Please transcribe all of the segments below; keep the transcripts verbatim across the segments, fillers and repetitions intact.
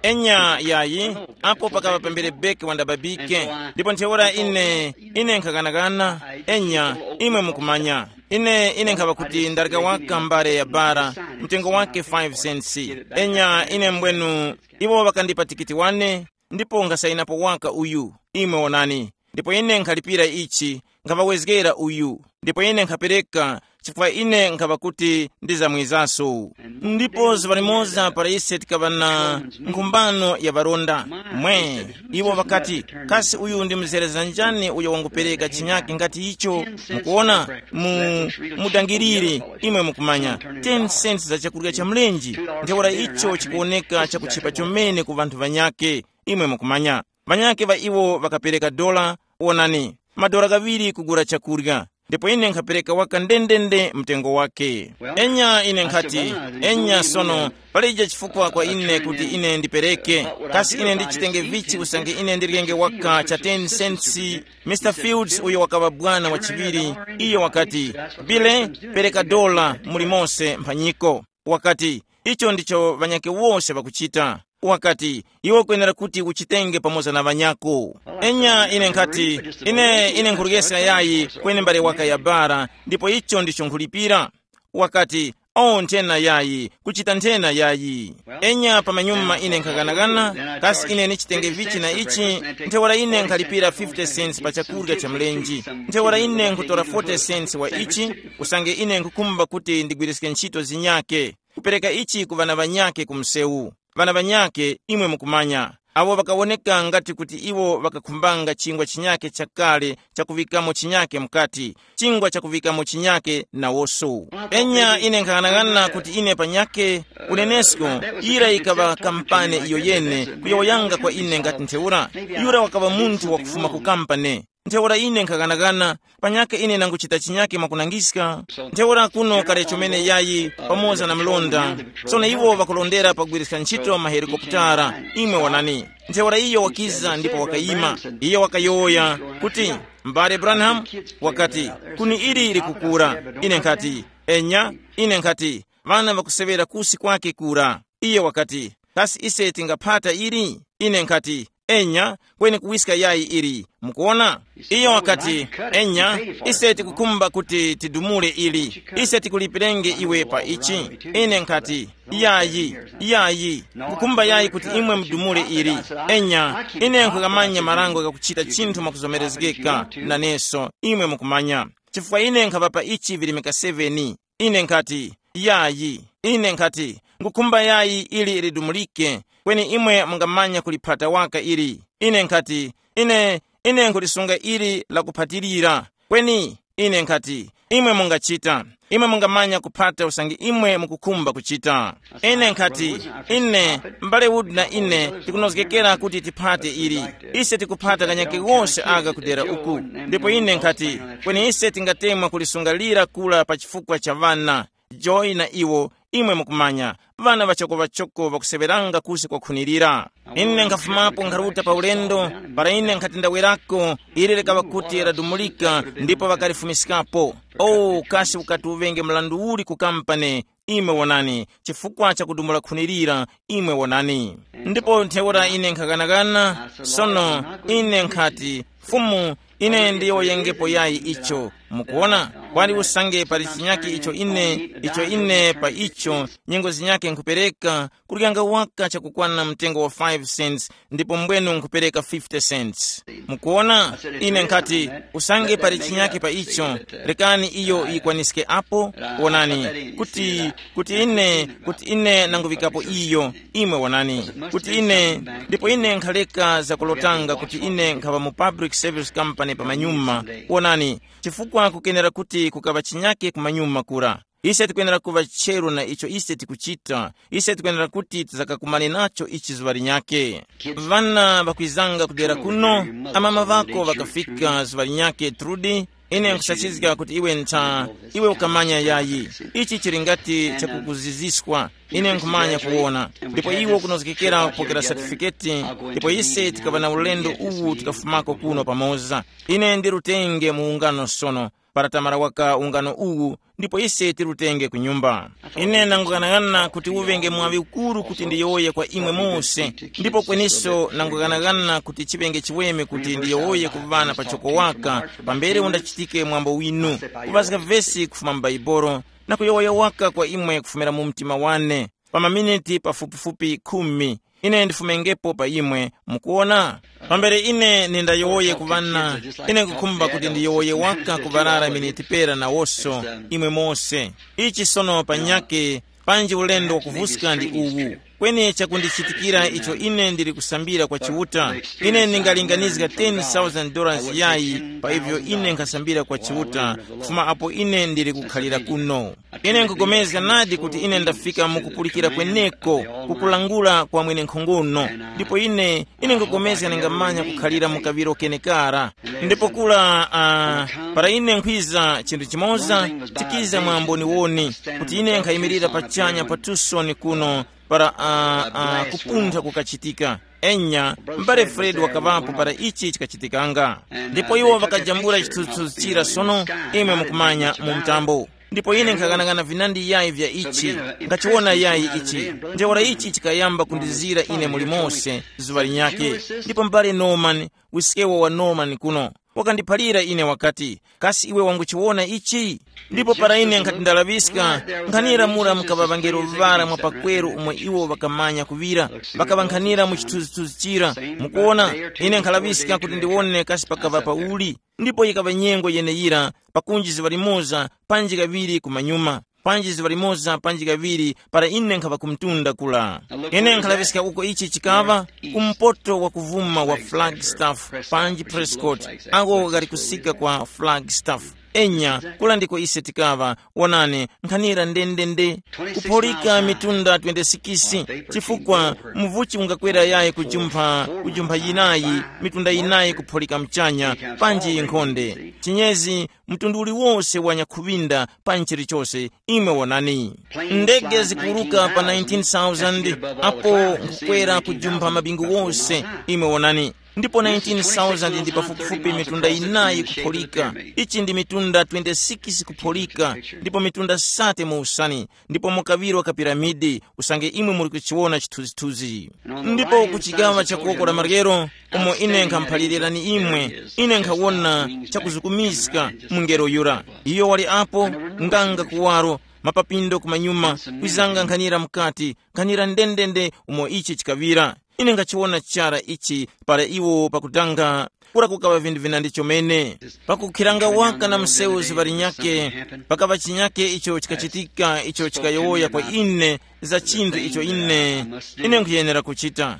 Enya yayi, apo pakaŵa pambere beki wandababike. Ndipo ntheura ine, ine nkhakanakana. Enya, imwe mukumanya, ine ine nkhaŵa kuti ndareka waka mbale ya bara, mtengo wake five cents. Enya ine mbwenu, iwo ŵakandipa tikiti wane, ndipo nkhasainapo waka uyu, imwe wonani. Ndipo ine nkhalipira ichi, nkhaŵawezgera uyu, ndipo ine nkhapereka, chifukwa ine nkhaŵa kuti ndizamwizaso. Ndipo zuŵa limoza para ise tikaŵa na nkhumbano ya ŵaronda, mwe, iwo ŵakati, kasi uyu ndi mzereza njani uyo wangupereka chinyake ngati icho? Mukuona, mu mudangirire, imwe mukumanya, ten cents za chakurya cha mlenje. Ntheura icho chikuwoneka chakuchipa chomene ku ŵanthu ŵanyake, imwe mukumanya. Ŵanyakhe ŵa iwo ŵakapereka dola, wonani, madora ghaŵiri kugula chakurya, ndipo ine nkhapereka waka ndendende mtengo wake. Enya ine nkhati, enya sono, palije chifukwa kwa ine kuti ine ndipereke. Kasi ine ndichitenge vichi usange ine ndiryenge waka cha ten cents? Mister Fields, uyo wakaŵa bwana wa chiŵiri, iyo wakati, bile, pereka dola muli mose mphanyiko. Wakati, icho ndicho ŵanyakhe wose ŵakuchita. Wakati, iwe ukwenera kuti uchitenge pamoza na ŵanyako. Enya ine nkhati, ine ine nkhuliyesa yayi, kweni mbale waka ya bara, ndipo icho ndicho nkhulipira. Wakati, o nthena yayi, kuchita nthena yayi. Enya pamanyuma ine nkhaghanaghana, kasi ine nichitenge vichi na ichi? Ntheura ine nkhalipira fifty cents pa chakurya cha mlenji. Ntheura ine nkhutora forty cents wa ichi, usange ine nkhukhumba kuti ndigwiriske ntchito zinyake, kupereka ichi ku ŵana ŵanyakhe ku msewu. Ŵana ŵanyakhe, imwe mukumanya, awo ŵakawoneka ngati kuti iwo ŵakakhumbanga chingwa chinyakhe chakale chakuŵikamo chinyakhe mukati, chingwa chakuŵikamo chinyakhe nawoso. Enya ine nkhaghanaghana kuti ine panyakhe, unenesko, yira yikaŵa kampane iyo yene kuyowoyanga kwa ine ngati ntheura, yura wakaŵa munthu wakufuma ku kampane. Ntheura ine nkhaghanaghana, panyakhe ine nanguchita chinyakhe mwakunangiska. Ntheura kuno kali chomene yayi, pamoza na mlonda. Sono iwo ŵakulondera pagwiriska ntchito mahelikoputara. Imwe wonani, ntheura iyo wakiza ndipo wakayima. Iyo wakayowoya kuti, mbale Branham, wakati, kuni ili likukura. Ine nkhati, enya. Ine nkhati, ŵana ŵakuseŵera kusi kwake kura. Iye wakati, kasi ise tingaphata ili? Ine nkhati, enya, kweni kuwiska yayi ili. Mukuona? Iyo wakati, enya, ise tikukhumba kuti tidumule ili. Ise tikulipirenge iwe pa ichi. Ine nkhati, yayi, yayi, kukhumba yayi kuti imwe mudumule ili. Enya, ine nkhukamanya marango ghakuchita chinthu mwakuzomerezgeka naneso, imwe mukumanya, chifukwa ine nkhapa pa ichi virimika seven. Ine nkhati, yayi. Ine nkhati, ngukhumba yayi ili lidumulike, kweni imwe mungamanya kuliphata waka ili. Ine nkhati, ine, ine nkhulisunga ili lakuphatilira. Kweni ine nkhati, imwe mungachita, imwe mungamanya kuphata usange imwe mukukhumba kuchita. Ine nkhati, ine, m'bale Wood na ine tikunozgekera kuti tiphate ili. Ise tikuphata kanyake wose aka kudera uku. Ndipo ine nkhati, kweni ise tingatemwa kulisunga lira kula pa chifukwa cha ŵana. Joy na iwo, imwe mukumanya, ŵana ŵachokoŵachoko ŵakuseŵeranga kusi kwakhunirira. Ine nkhafumapo nkharuta pa ulendo, para ine nkhati ndawerako, ili likaŵa kuti ladumulika, ndipo ŵakalifumiskapo. O, kasi ukati uŵenge mrandu uli ku kampani, imwe wonani, chifukwa cha kudumula khunirira, imwe wonani. Ndipo ntheura ine nkhaghanaghana, sono, ine nkhati, Fumu, ine ndiyowoyengepo yayi icho. Mukuona, kwali usange pali chinyake icho ine, icho ine pa icho, nyengo zinyake nkhupereka, kuryanga waka chakukwana mtengo wa five cents, ndipo mbwenu nkhupereka fifty cents. Mukuona, ine nkhati, usange pali chinyake pa icho, rekani iyo yikwaniske apo. Wonani, kuti, kuti ine, kuti ine nanguŵikapo iyo, imwe wonani, kuti ine, ndipo ine nkhaleka zakulotanga kuti ine nkhaŵa mu public service company pamanyuma. Wonani, chifukwa kukenera kuti kukaŵa chinyake kumanyuma kura. Ise tikwenera kuŵa cheru na icho ise tikuchita. Ise tikwenera kuti tizakakumane nacho ichi zuŵa linyake. Vana vakwizanga kudera kuno, amama vako vakafika zuŵa linyake, Trudi. Ine nkusachizga kuti iwe ntha, iwe ukamanya yayi. Ichi chili ngati chakukuziziswa. Ine nkhumanya kuwona. Ndipo iwe ukunozgekera kupokera satifiketi. Ndipo ise tikaŵa na ulendo uwu tikafumako kuno pamoza. Ine ndi rutenge mu ungano sono. para tamara waka ungano uwu, ndipo ise tirutenge ku nyumba. Ine nangughanagana kuti uŵenge mwaŵi ukuru kuti ndiyowoye kwa imwe mose, ndipo kweniso nangughanagana kuti chiŵenge chiweme kuti ndiyowoye ku ŵana pachoko waka, pambere undachitike mwambo winu, kuŵazga vesi kufuma mu Baibolo, na kuyowoya waka kwa imwe kufumira mu mtima wane, pa maminiti pafupifupi khumi. Ine ndifumengepo pa imwe, mukuwona? Pambere ine nindayowoye ku ŵana, ine nkukhumba kuti ndiyowoye waka ku ŵarara miniti pera nawoso, imwe mose. Ichi sono panyake, panji ulendo wakuvuska ndi uwu. Kweni chakundichitikira icho ine ndili kusambira kwa Chiuta, ine ndingalinganizga ten thousand dollars yayi pa ivyo ine nkhasambira kwa Chiuta, kufuma apo ine ndili kukhalira kuno. Ine nkupulikana nadi kuti ine ndafika mu kupulikira kweneko, kukulangula kwa mwenenkhongono. Ndipo ine, ine nkupulikana ningamanya kukhalira mu kaŵiro kenekara. Ndipo kula, uh, para ine nkhwiza chinthu chimoza, chikiza mwa mboniwoni, kuti ine nkhayimirira pachanya pa Tucson kuno, para uh, uh, kupuntha kukachitika. Enya, m'bale Fred wakaŵapo para ichi chikachitikanga. Ndipo iwo ŵakajambula chithunzithunzi chira sono, imwe mukumanya mu mtambo. Ndipo ine nkhaghanaghana vinandi yayi vya ichi, nkhachiwona yayi ichi. Ntheura ichi chikayamba kundizira ine muli mose, zuŵa linyakhe. Ndipo m'bale Norman, wiskewo wa Norman kuno, wakandiphalira ine wakati, kasi iwe wanguchiwona ichi? Ndipo para ine nkhati ndalaŵiska, nkhanira mura mukaŵa ŵangelo ŵara mwa pakweru umo iwo ŵakamanya kuŵira, ŵakaŵankhanira mu chithunzithunzi chira. Mukuwona, ine nkhalaŵiska kuti ndiwone kasi pakaŵa pauli. Ndipo yikaŵa nyengo yeneyira, pakunji zuŵa limoza, panji kaŵiri kumanyuma, panji zuŵa limoza panji kaŵiri, para ine nkhava ku mtunda kula. Ine nkhalaŵiska uko ichi chikaŵa, ku mpoto wa kuvuma wa Flagstaff, panji Prescott, ako ghali kusika kwa Flagstaff. Enya, kula ndiko ise tikaŵa, wonani, nkhanira ndendende, kupholika mitunda twenty-six, chifukwa muvuchi ungakwera yayi kujumpha, kujumpha yinayi, mitunda yinayi kupholika mchanya, panji nkhonde. Chinyezi, mtundu uliwose wa nyakhuŵinda pa nchilichose, imwe wonani. Ndege zikuruka pa nineteen thousand, apo nkukwera kujumpha mabingu wose, imwe wonani. Ndipo nineteen thousand ndi pafupifupi mitunda inayi kupholika. Ichi ndi mitunda twenty-six kupholika, ndipo mitunda sate mu usani, ndipo mukaŵiro ka piramidi, usange imwe muli kuchiwona chithunzithunzi. Ndipo ku chigawa cha kuwoko la maryero, umo ine nkhamuphalirani imwe, ine nkhawona chakuzukumiska mungelo yura. Iyo wali apo, nganga kuwaro, mapapindo kumanyuma, kwizanga nkhanira mukati, nkhanira ndendende umo ichi chikaŵira. Ine ngachiwona chara ichi para iwo pakutanga, kura kukaŵa vinthu vinandi chomene. Pakukhiranga waka na msewu zuŵa linyakhe, pakaŵa chinyakhe icho chikachitika icho chikayowoya kwa ine, za chinthu icho ine, ine nkhuyenera kuchita.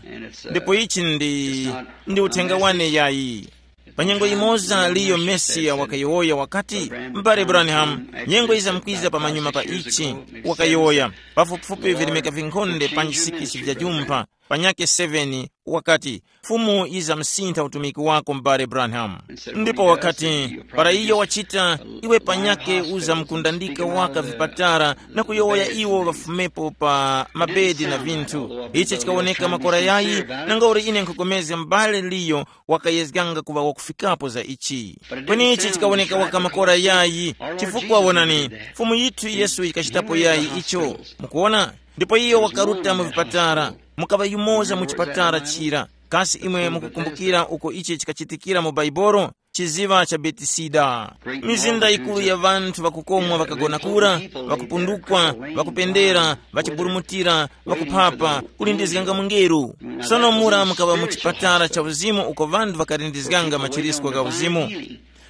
Ndipo ichi ndi, ndi uthenga wane yayi. Pa nyengo imoza liyo Mesiya wakayowoya wakati, m'bale Branham, nyengo izamkwiza pamanyuma pa ichi, wakayowoya, pafupifupi vilemeka vinkhonde panji sikisi vya jumpha, panyakhe seven, wakati, Fumu yizamsintha utumiki wako m'bale Branham. Ndipo wakati, para iyo wachita, iwe panyakhe uzamkundandika waka vipatara na kuyowoya iwo ŵafumepo pa mabedi na vinthu. Ichi chikawoneka makora yayi, nangauli ine nkhukomezga m'bale liyo wakayezganga kuŵa wakufikapo za ichi. Kweni ichi chikawoneka waka makora yayi, chifukwa wonani, Fumu yithu Yesu yikachitapo yayi icho. Mukuwona? Ndipo iyo wakaruta mu vipatara, mukaŵa yumoza mu chipatara chira. Kasi imwe mukukumbukira uko ichi chikachitikira mu Baibolo? Chiziŵa cha Betisida. Mizinda yikuru ya ŵanthu ŵakukomwa ŵakagona kura, ŵakupundukwa, ŵakupendera, ŵachiburumutira, ŵakuphapa, kulindizganga mungelo. Sono mura mukaŵa mu chipatala cha uzimu uko ŵanthu ŵakalindizganga machirisko gha uzimu.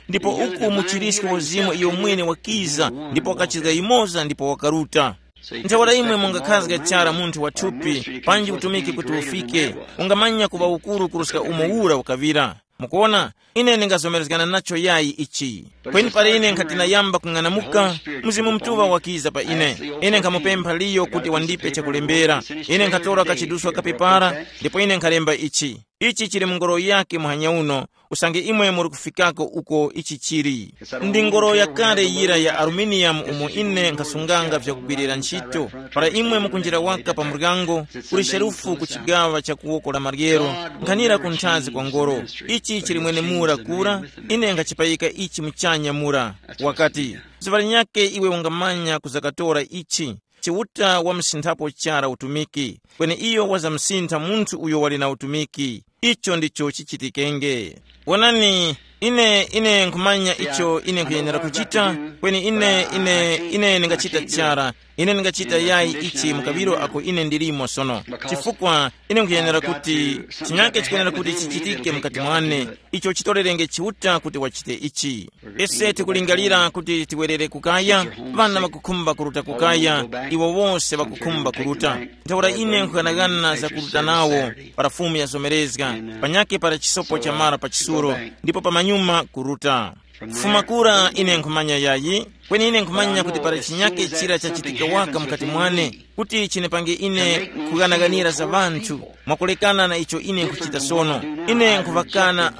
Ndipo uku muchirisko wa uzimu iyo mwene wakiza, ndipo wakachizga yimoza ndipo wakaruta. Ntheura imwe mungakhazga chara munthu wa thupi, panji utumiki kuti ufike, ungamanya kuŵa ukuru kuruska umo ura ukaŵira. Mukuwona, ine ndingazomerezgana nacho yayi ichi. Kweni pali ine nkhati nayamba kung'anamuka, Mzimu Mutuŵa wakiza pa ine. Ine nkhamupempha Liyo kuti wandipe chakulembera. Ine nkhatora kachiduswa kapepara, ndipo ine nkhalemba ichi. Ichi chili mu ngoro yake muhanya uno, usange imwe muri kufikako uko ichi chili. Ndi ngoro yakale yira ya aluminium umo ine nkhasunganga vyakugwirira ntchito. Para imwe mukunjira waka pa muryango, kuli sherufu ku chigawa cha kuwoko la maryero, nkhanira ku nthazi kwa ngoro. Ichi chili mwenemura kura, ine nkhachipayika ichi muchanya mura. Wakati, zuŵa linyakhe iwe ungamanya kuzakatora ichi. Chiuta wamsinthapo chara utumiki, kweni iyo wazamsintha munthu uyo wali na utumiki. Icho ndicho chichitikenge. Wonani, ine ine nkhumanya icho ine nkhuyenera kuchita, kweni ine ine ine ndingachita chara. Ine ndingachita yayi ichi mukaŵiro ako ine ndilimo sono, chifukwa ine nkhuyenera kuti chinyake chikuyenera kuti chichitike mukati mwane. Icho chitolerenge Chiuta kuti wachite ichi. Ise tikulingalira kuti tiwerere kukaya, ŵana ŵakukhumba kuruta kukaya, iwo wose ŵakukhumba kuruta. Ntheura ine nkhughanaghana za kuruta nawo para Fumu yazomerezga, panyakhe para chisopo chamara pa chisulo, ndipo pamanyuma kuruta. Kufuma kura ine nkhumanya yayi, kweni ine nkhumanya kuti para chinyakhe chira chachitika waka mukati mwane, kuti chinipange ine kughanaghanira za ŵanthu, mwakulekana na icho ine nkhuchita sono. Ine nkhuŵakana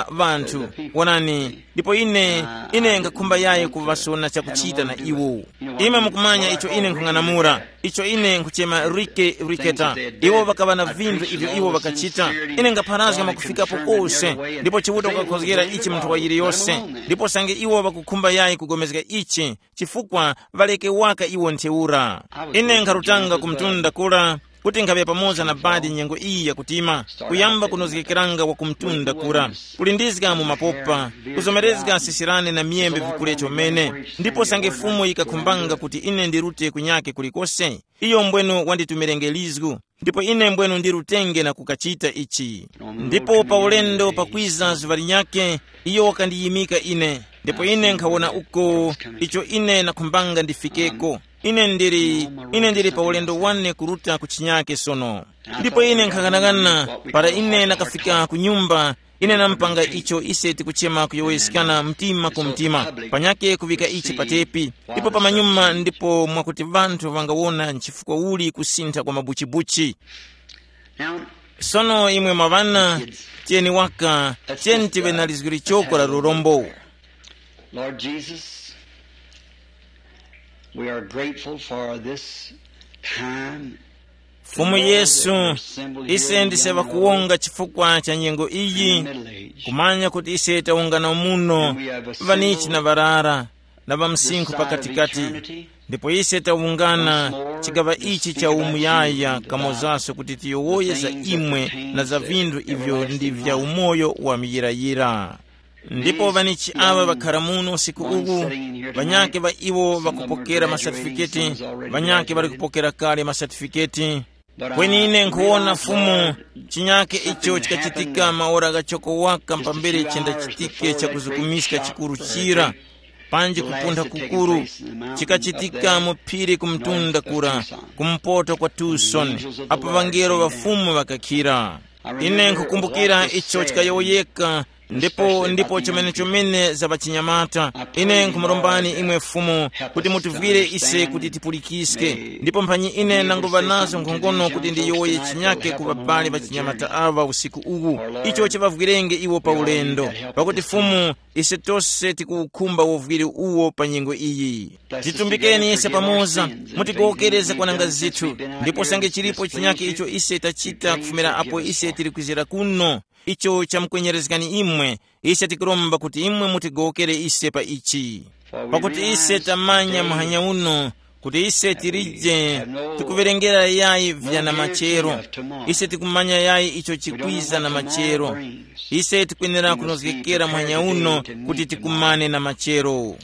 uh, ŵanthu. Wonani, ndipo ine ine nkhakhumba yayi kuŵasona chakuchita na iwo. Imwe mukumanya icho ine nkhung'anamula, icho ine nkhuchema rike riketa. Iwo ŵakaŵa na vinthu ivyo iwo ŵakachita. Ine ngapharazga mwakufikapo kose, ndipo Chiuta wakakhozgera ichi munthu wa yiliyose. Ndipo sange iwo ŵakukhumba yayi kugomezga ichi, chifukwa ŵaleke waka iwo ntheura. Ine nkharutanga ku mtunda kura, kuti nkhaŵe pamoza na badi nyengo iyi yakutima, kuyamba kunozgekeranga wa ku mtunda kura, kulindizga mu mapopa, kuzomerezga sisirane na miyembe vikule chomene. Ndipo sange Fumu yikakhumbanga kuti ine ndirute kunyake kulikose, iyo mbwenu wanditumirenge lizgu, ndipo ine mbwenu ndirutenge na kukachita ichi. Ndipo pa ulendo pakwiza zuŵa linyakhe, iyo wakandiyimika ine, ndipo ine nkhawona uko icho ine nakhumbanga ndifikeko. Ine ndili ine ndili pa ulendo wane kuruta ku chinyake sono. Ndipo ine nkhaghanagana, para ine nakafika ku nyumba, ine nampanga icho ise tikuchema kuyowoyeskana mtima ku mtima, panyake kuŵika ichi pa tepi, ndipo pamanyuma ndipo mwakuti ŵanthu ŵangawona nchifukwa uli kusintha kwa mabuchibuchi. Sono imwe mwaŵana, tiyeni waka, tiyeni tiŵe na lizgu lichoko la lurombo. Lord Jesus, we are grateful for this time. Fumu Yesu, ise ndise ŵakuwonga chifukwa cha nyengo iyi, kumanya kuti ise tawungana muno, ŵanichi na ŵarara, na ŵamsinkhu pakatikati. Ndipo ise tawungana chigaŵa ichi cha umuyaya kamozaso kuti tiyowoye za imwe na za vinthu ivyo ndi vya umoyo wa muyirayira. Ndipo ŵanichi aŵa ŵakhara muno usiku uwu, ŵanyakhe ŵa iwo ŵakupokera masatifiketi, ŵanyakhe ŵali kupokera kale masatifiketi. Kweni ine nkhuwona Fumu, chinyakhe icho chikachitika maora ghachoko waka pambere chendachitike chakuzukumiska chikuru chira, panji kupuntha kukuru, chikachitika mu phiri ku mtunda kura, kumpoto kwa Tucson, apo ŵangelo ŵa Fumu ŵakakhira. Ine nkhukumbukira icho chikayowoyeka, ndipo ndipo chomene chomene za ŵachinyamata. Ine nkhumurombani imwe Fumu kuti mutivwire ise kuti tipulikiske, ndipo mphanyi ine nanguŵa nazo nkhongono kuti ndiyowoye chinyake ku ŵabali ŵachinyamata aŵa usiku uwu, icho chiŵavwirenge iwo pa ulendo, pakuti Fumu, ise tose tikuwukhumba uvwiri uwo pa nyengo iyi. Titumbikeni ise pamoza, mutigowokere zakwananga zithu, ndipo sange chilipo chinyake icho ise tachita kufumira apo ise tili kwizira kuno, icho chamkwenyerezgani imwe, ise tikuromba kuti imwe mutigowokere ise pa ichi. Pakuti ise tamanya muhanya uno kuti ise tilije tikuwerengera yayi vya na machero. Ise tikumanya yayi icho chikwiza na machero. Ise tikwenera kunozgekera muhanya uno kuti tikumane na machero.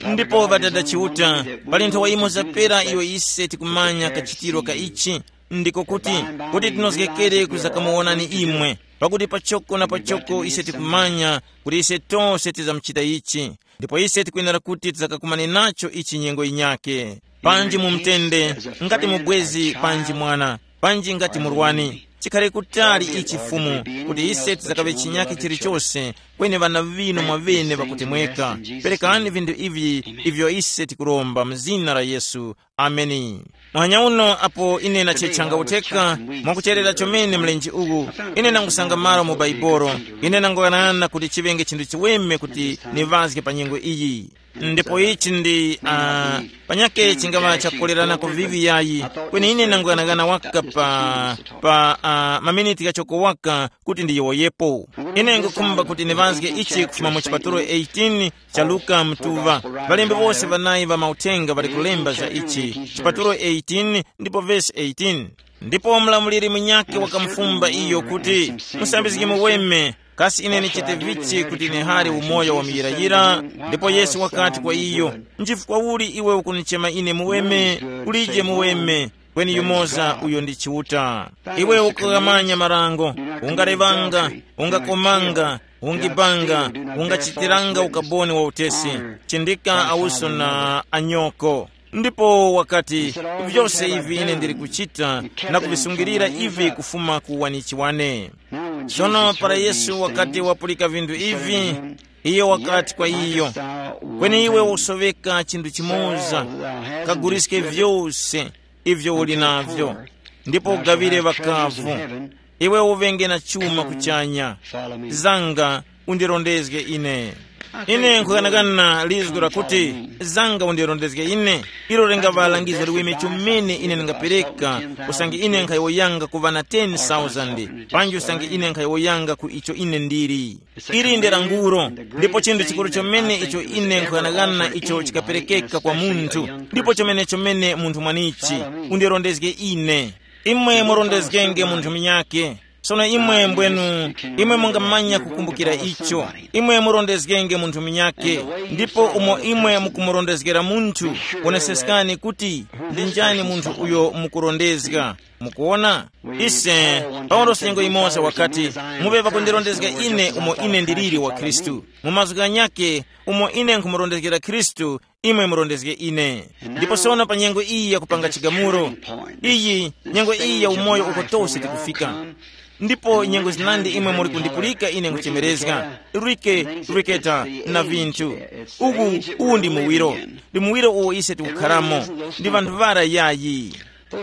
Ndipo Ŵadada Chiuta, pali nthowa imo zapera iyo ise tikumanya kachitiro ka ichi, ndiko kuti, kuti tinozgekere kuzakamuwonani imwe, pakuti pachoko na pachoko ise tikumanya kuti ise tose tizamuchita ichi, ndipo ise tikwenera kuti tizakakumane nacho ichi nyengo yinyakhe. Panji mu mtende, ngati mubwezi panji mwana, panji ngati murwani, Chikhale kutali ichi Fumu, kuti ise tizakaŵe chinyakhe chilichose, kweni ŵana ŵinu mwaŵene ŵakutemweka. Perekani vinthu ivi ivyo ise tikuromba mu zina la Yesu. Ameni. Muhanya uno apo ine nachechanga utheka mwakucherera chomene mlenje uwu, ine nangusanga malo mu Baibolo, ine nangoyanana kuti chiŵenge chinthu chiweme kuti niŵazge pa nyengo iyi. Ndipo ichi ndi uh, panyake chingaŵa chakukolerana kuvivi yayi, kweni ine nangoyanagana waka pa, pa uh, maminiti ghachoko waka kuti ndiyowoyepo. Ine ngukhumba kuti niŵazge ichi kufuma mu chipatulo eighteen cha Luka mtuŵa. Ŵalembi wose ŵanayi ŵa mauthenga ŵali kulemba za ichi, chipatulo eighteen ndipo vesi eighteen. Ndipo mlamuliri munyakhe wakamufumba iyo kuti, musambizgi muweme, kasi ine nichite vichi kuti nihare umoyo wa muyirayira? Ndipo Yesu wakati kwa iyo, nchifukwa uli iwe ukunichema ine muweme? Kulije muweme, kweni yumoza uyo ndi Chiuta. Iwe ukughamanya marango, ungarevanga, ungakomanga, ungibanga, ungachitiranga ukaboni wa utesi, chindika awuso na anyoko. Ndipo wakati, vyose ivi ine ndili kuchita na kuvisungilira ivi kufuma ku wanichi wane. Sono para Yesu wakati wapulika vinthu ivi, iyo wakati kwa iyo, kweni iwe usoveka chinthu chimoza, kaguliske vyose ivyo uli navyo, ndipo ugaŵire ŵakavu, iwe uŵenge na chuma kuchanya. Zanga, undirondezge ine. Ine nkhukanakana lizgu lakuti, zanga undirondezge ine, ilo lingaŵa langizo liweme chomene ine ndingapereka, usange ine nkhayowoyanga ku ŵana ten thousand, panji usange ine nkhayowoyanga ku icho ine ndili. Ili ndi languro, ndipo chinthu chikuru chomene icho ine nkhughanaghana icho chikaperekeka kwa munthu, ndipo chomene chomene munthu mwanichi, undirondezge ine. Imwe murondezgenge munthu munyake. Sono imwe mbwenu, imwe mungamanya kukumbukira icho. Imwe murondezgenge munthu munyake, ndipo umo imwe mukumurondezgera munthu, woneseskani kuti ndi njani munthu uyo mukurondezga. Mukuwona? Ise, Paulosi nyengo yimoza wakati, muŵe ŵakundirondezga ine umo ine ndiliri wa Khristu. Mu mazgu ghanyakhe, umo ine nkhumurondezgera Khristu, imwe murondezge ine. Ndipo sono pa nyengo iyi yakupanga chigamulo, iyi nyengo iyi ya umoyo uko tose tikufika. Ndipo nyengo zinandi imwe muli kundipulika ine nkuchemerezga, rike, riketa, na vinthu. Uwu, uwu ndi muwiro, ndi muwiro uwo ise tikukharamo. Ndi vanthu ŵara yayi.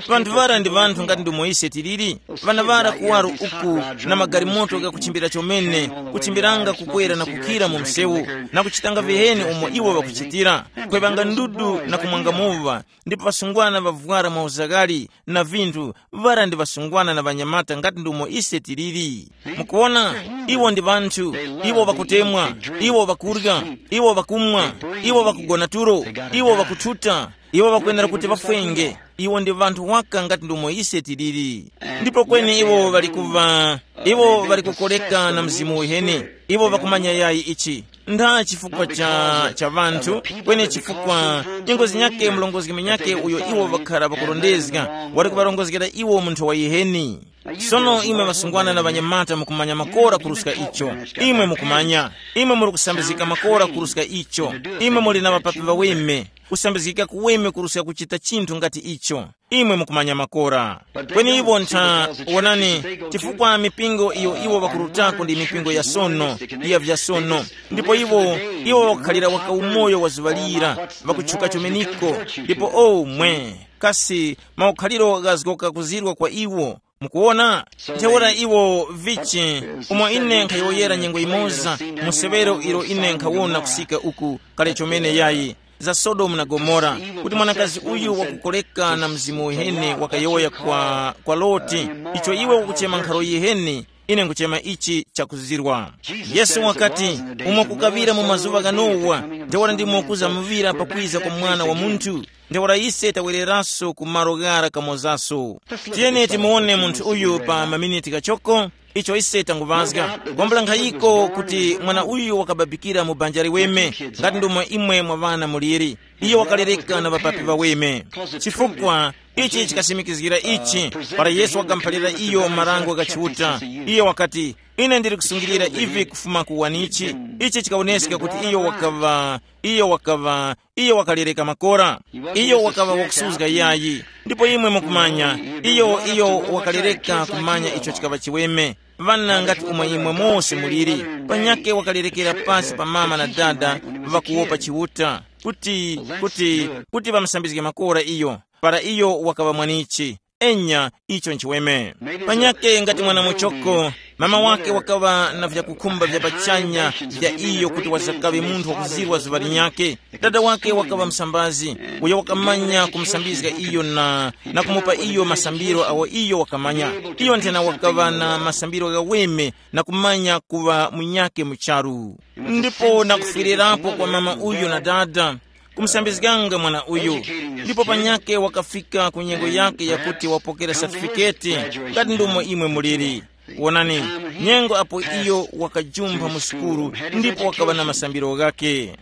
Vanthu ŵara ndi vanthu ngati ndumo ise tiliri. Ŵana ŵara kuwaro uku, na magalimoto ghakuchimbira chomene, kuchimbiranga kukwera na kukhira mu msewu, na kuchitanga viheni umo iwo ŵakuchitira, kweŵanga ndudu na kumwanga muŵa, ndipo ŵasungwana ŵavwara mauzaghali na vinthu. Ŵara ndi ŵasungwana na ŵanyamata ngati ndumo ise tiliri. Mukuwona, iwo ndi ŵanthu, iwo ŵakutemwa, iwo ŵakurya, iwo ŵakumwa, iwo ŵakugona tulo, iwo ŵakuthuta, iwo ŵakwenera kuti ŵafwenge. Iwo ndi ŵanthu waka ngati ndomwe ise tiliri. Ndipo kweni iwo ŵali kuva, iwo ŵali kukoreka na Mzimu uheni. Iwo ŵakumanya yayi ichi. Ntha chifukwa cha, cha ŵanthu, kweni chifukwa nyengo zinyakhe mlongozgi minyakhe uyo iwo ŵakhara ŵakurondezga, wali kuŵarongozgera iwo munthu wa yiheni. Sono imwe ŵasungwana na ŵanyamata mukumanya makora kuruska icho. Imwe mukumanya, imwe muli kusambizgika makora kuruska icho. Imwe muli na ŵapapi ŵaweme, kusambizgika kuweme kuruska kuchita chinthu ngati icho. Imwe mukumanya makora. Kweni iwo ntha, wonani, chifukwa mipingo iyo iwo ŵakurutako ndi mipingo ya sono, ya vya sono. Ndipo iwo, iwo ŵakukhalira waka umoyo wa zuŵa lira, ŵakutchuka chomeniko. Ndipo o mwe, kasi maukhaliro ghazgoka kuzirwa kwa iwo. Mukuwona? Ntheura iwo vichi, umo ine nkhayowoyera nyengo yimoza, mu severo ilo ine nkhawona kusika uku, kale chomene yayi, za Sodomu na Gomora, kuti mwanakazi uyu wakukoleka na mzimu uheni wakayowoya kwa, kwa Loti, icho iwe ukuchema nkharo yiheni, ine nkuchema ichi chakuzirwa. Yesu wakati, umo kukaŵira mu mazuŵa gha Nowa, ntheura ndimo kuzamuŵira pakwiza kwa Mwana wa Munthu. Ntheura ise tawereraso ku malo ghara kamozaso. Tiyeni timuwone munthu uyu pa maminiti ghachoko, icho ise tanguŵazga. Kwambula nkhayiko kuti mwana uyu wakababikira mu banja liweme, ngati ndomwe imwe mwa ŵana muliri. Iyo wakalereka na ŵapapi ŵaweme. Chifukwa, ichi chikasimikizgira ichi, para Yesu wakamuphalira iyo marango gha Chiuta. Iyo wakati, Ine ndili kusungilira ivi kufuma ku wanichi. Ichi chikawoneska kuti iyo wakaŵa iyo wakaŵa iyo wakalereka makora. Iyo wakaŵa wakusuzga yayi. Ndipo imwe mukumanya, iyo iyo wakalereka kumanya icho chikaŵa chiweme. Ŵana ngati umwe imwe mose muliri, panyake wakalerekera pasi pa mama na dada, ŵakuwopa Chiuta, kuti kuti kuti ŵamusambizge makora iyo, para iyo wakaŵa mwanichi. Enya, icho nchiweme. Panyake ngati mwana muchoko, mama wake wakaŵa na vyakukhumba vya pachanya vya iyo kuti wazakaŵe munthu wakuzirwa zuŵa linyakhe. Dada wake wakaŵa msambazi, uyo wakamanya kumusambizga iyo na na kumupa iyo masambiro awo iyo wakamanya. Iyo nthena wakaŵa na masambiro ghaweme na kumanya kuŵa munyakhe mu charu. Ndipo nakufwirirapo kwa mama uyu na dada, kumusambizganga mwana uyu. Ndipo panyakhe wakafika ku nyengo yakhe yakuti wapokera satifiketi, ngati ndomo imwe muliri. Wonani, nyengo apo iyo wakajumpha mu sukulu, ndipo wakaŵa na masambiro ghakhe.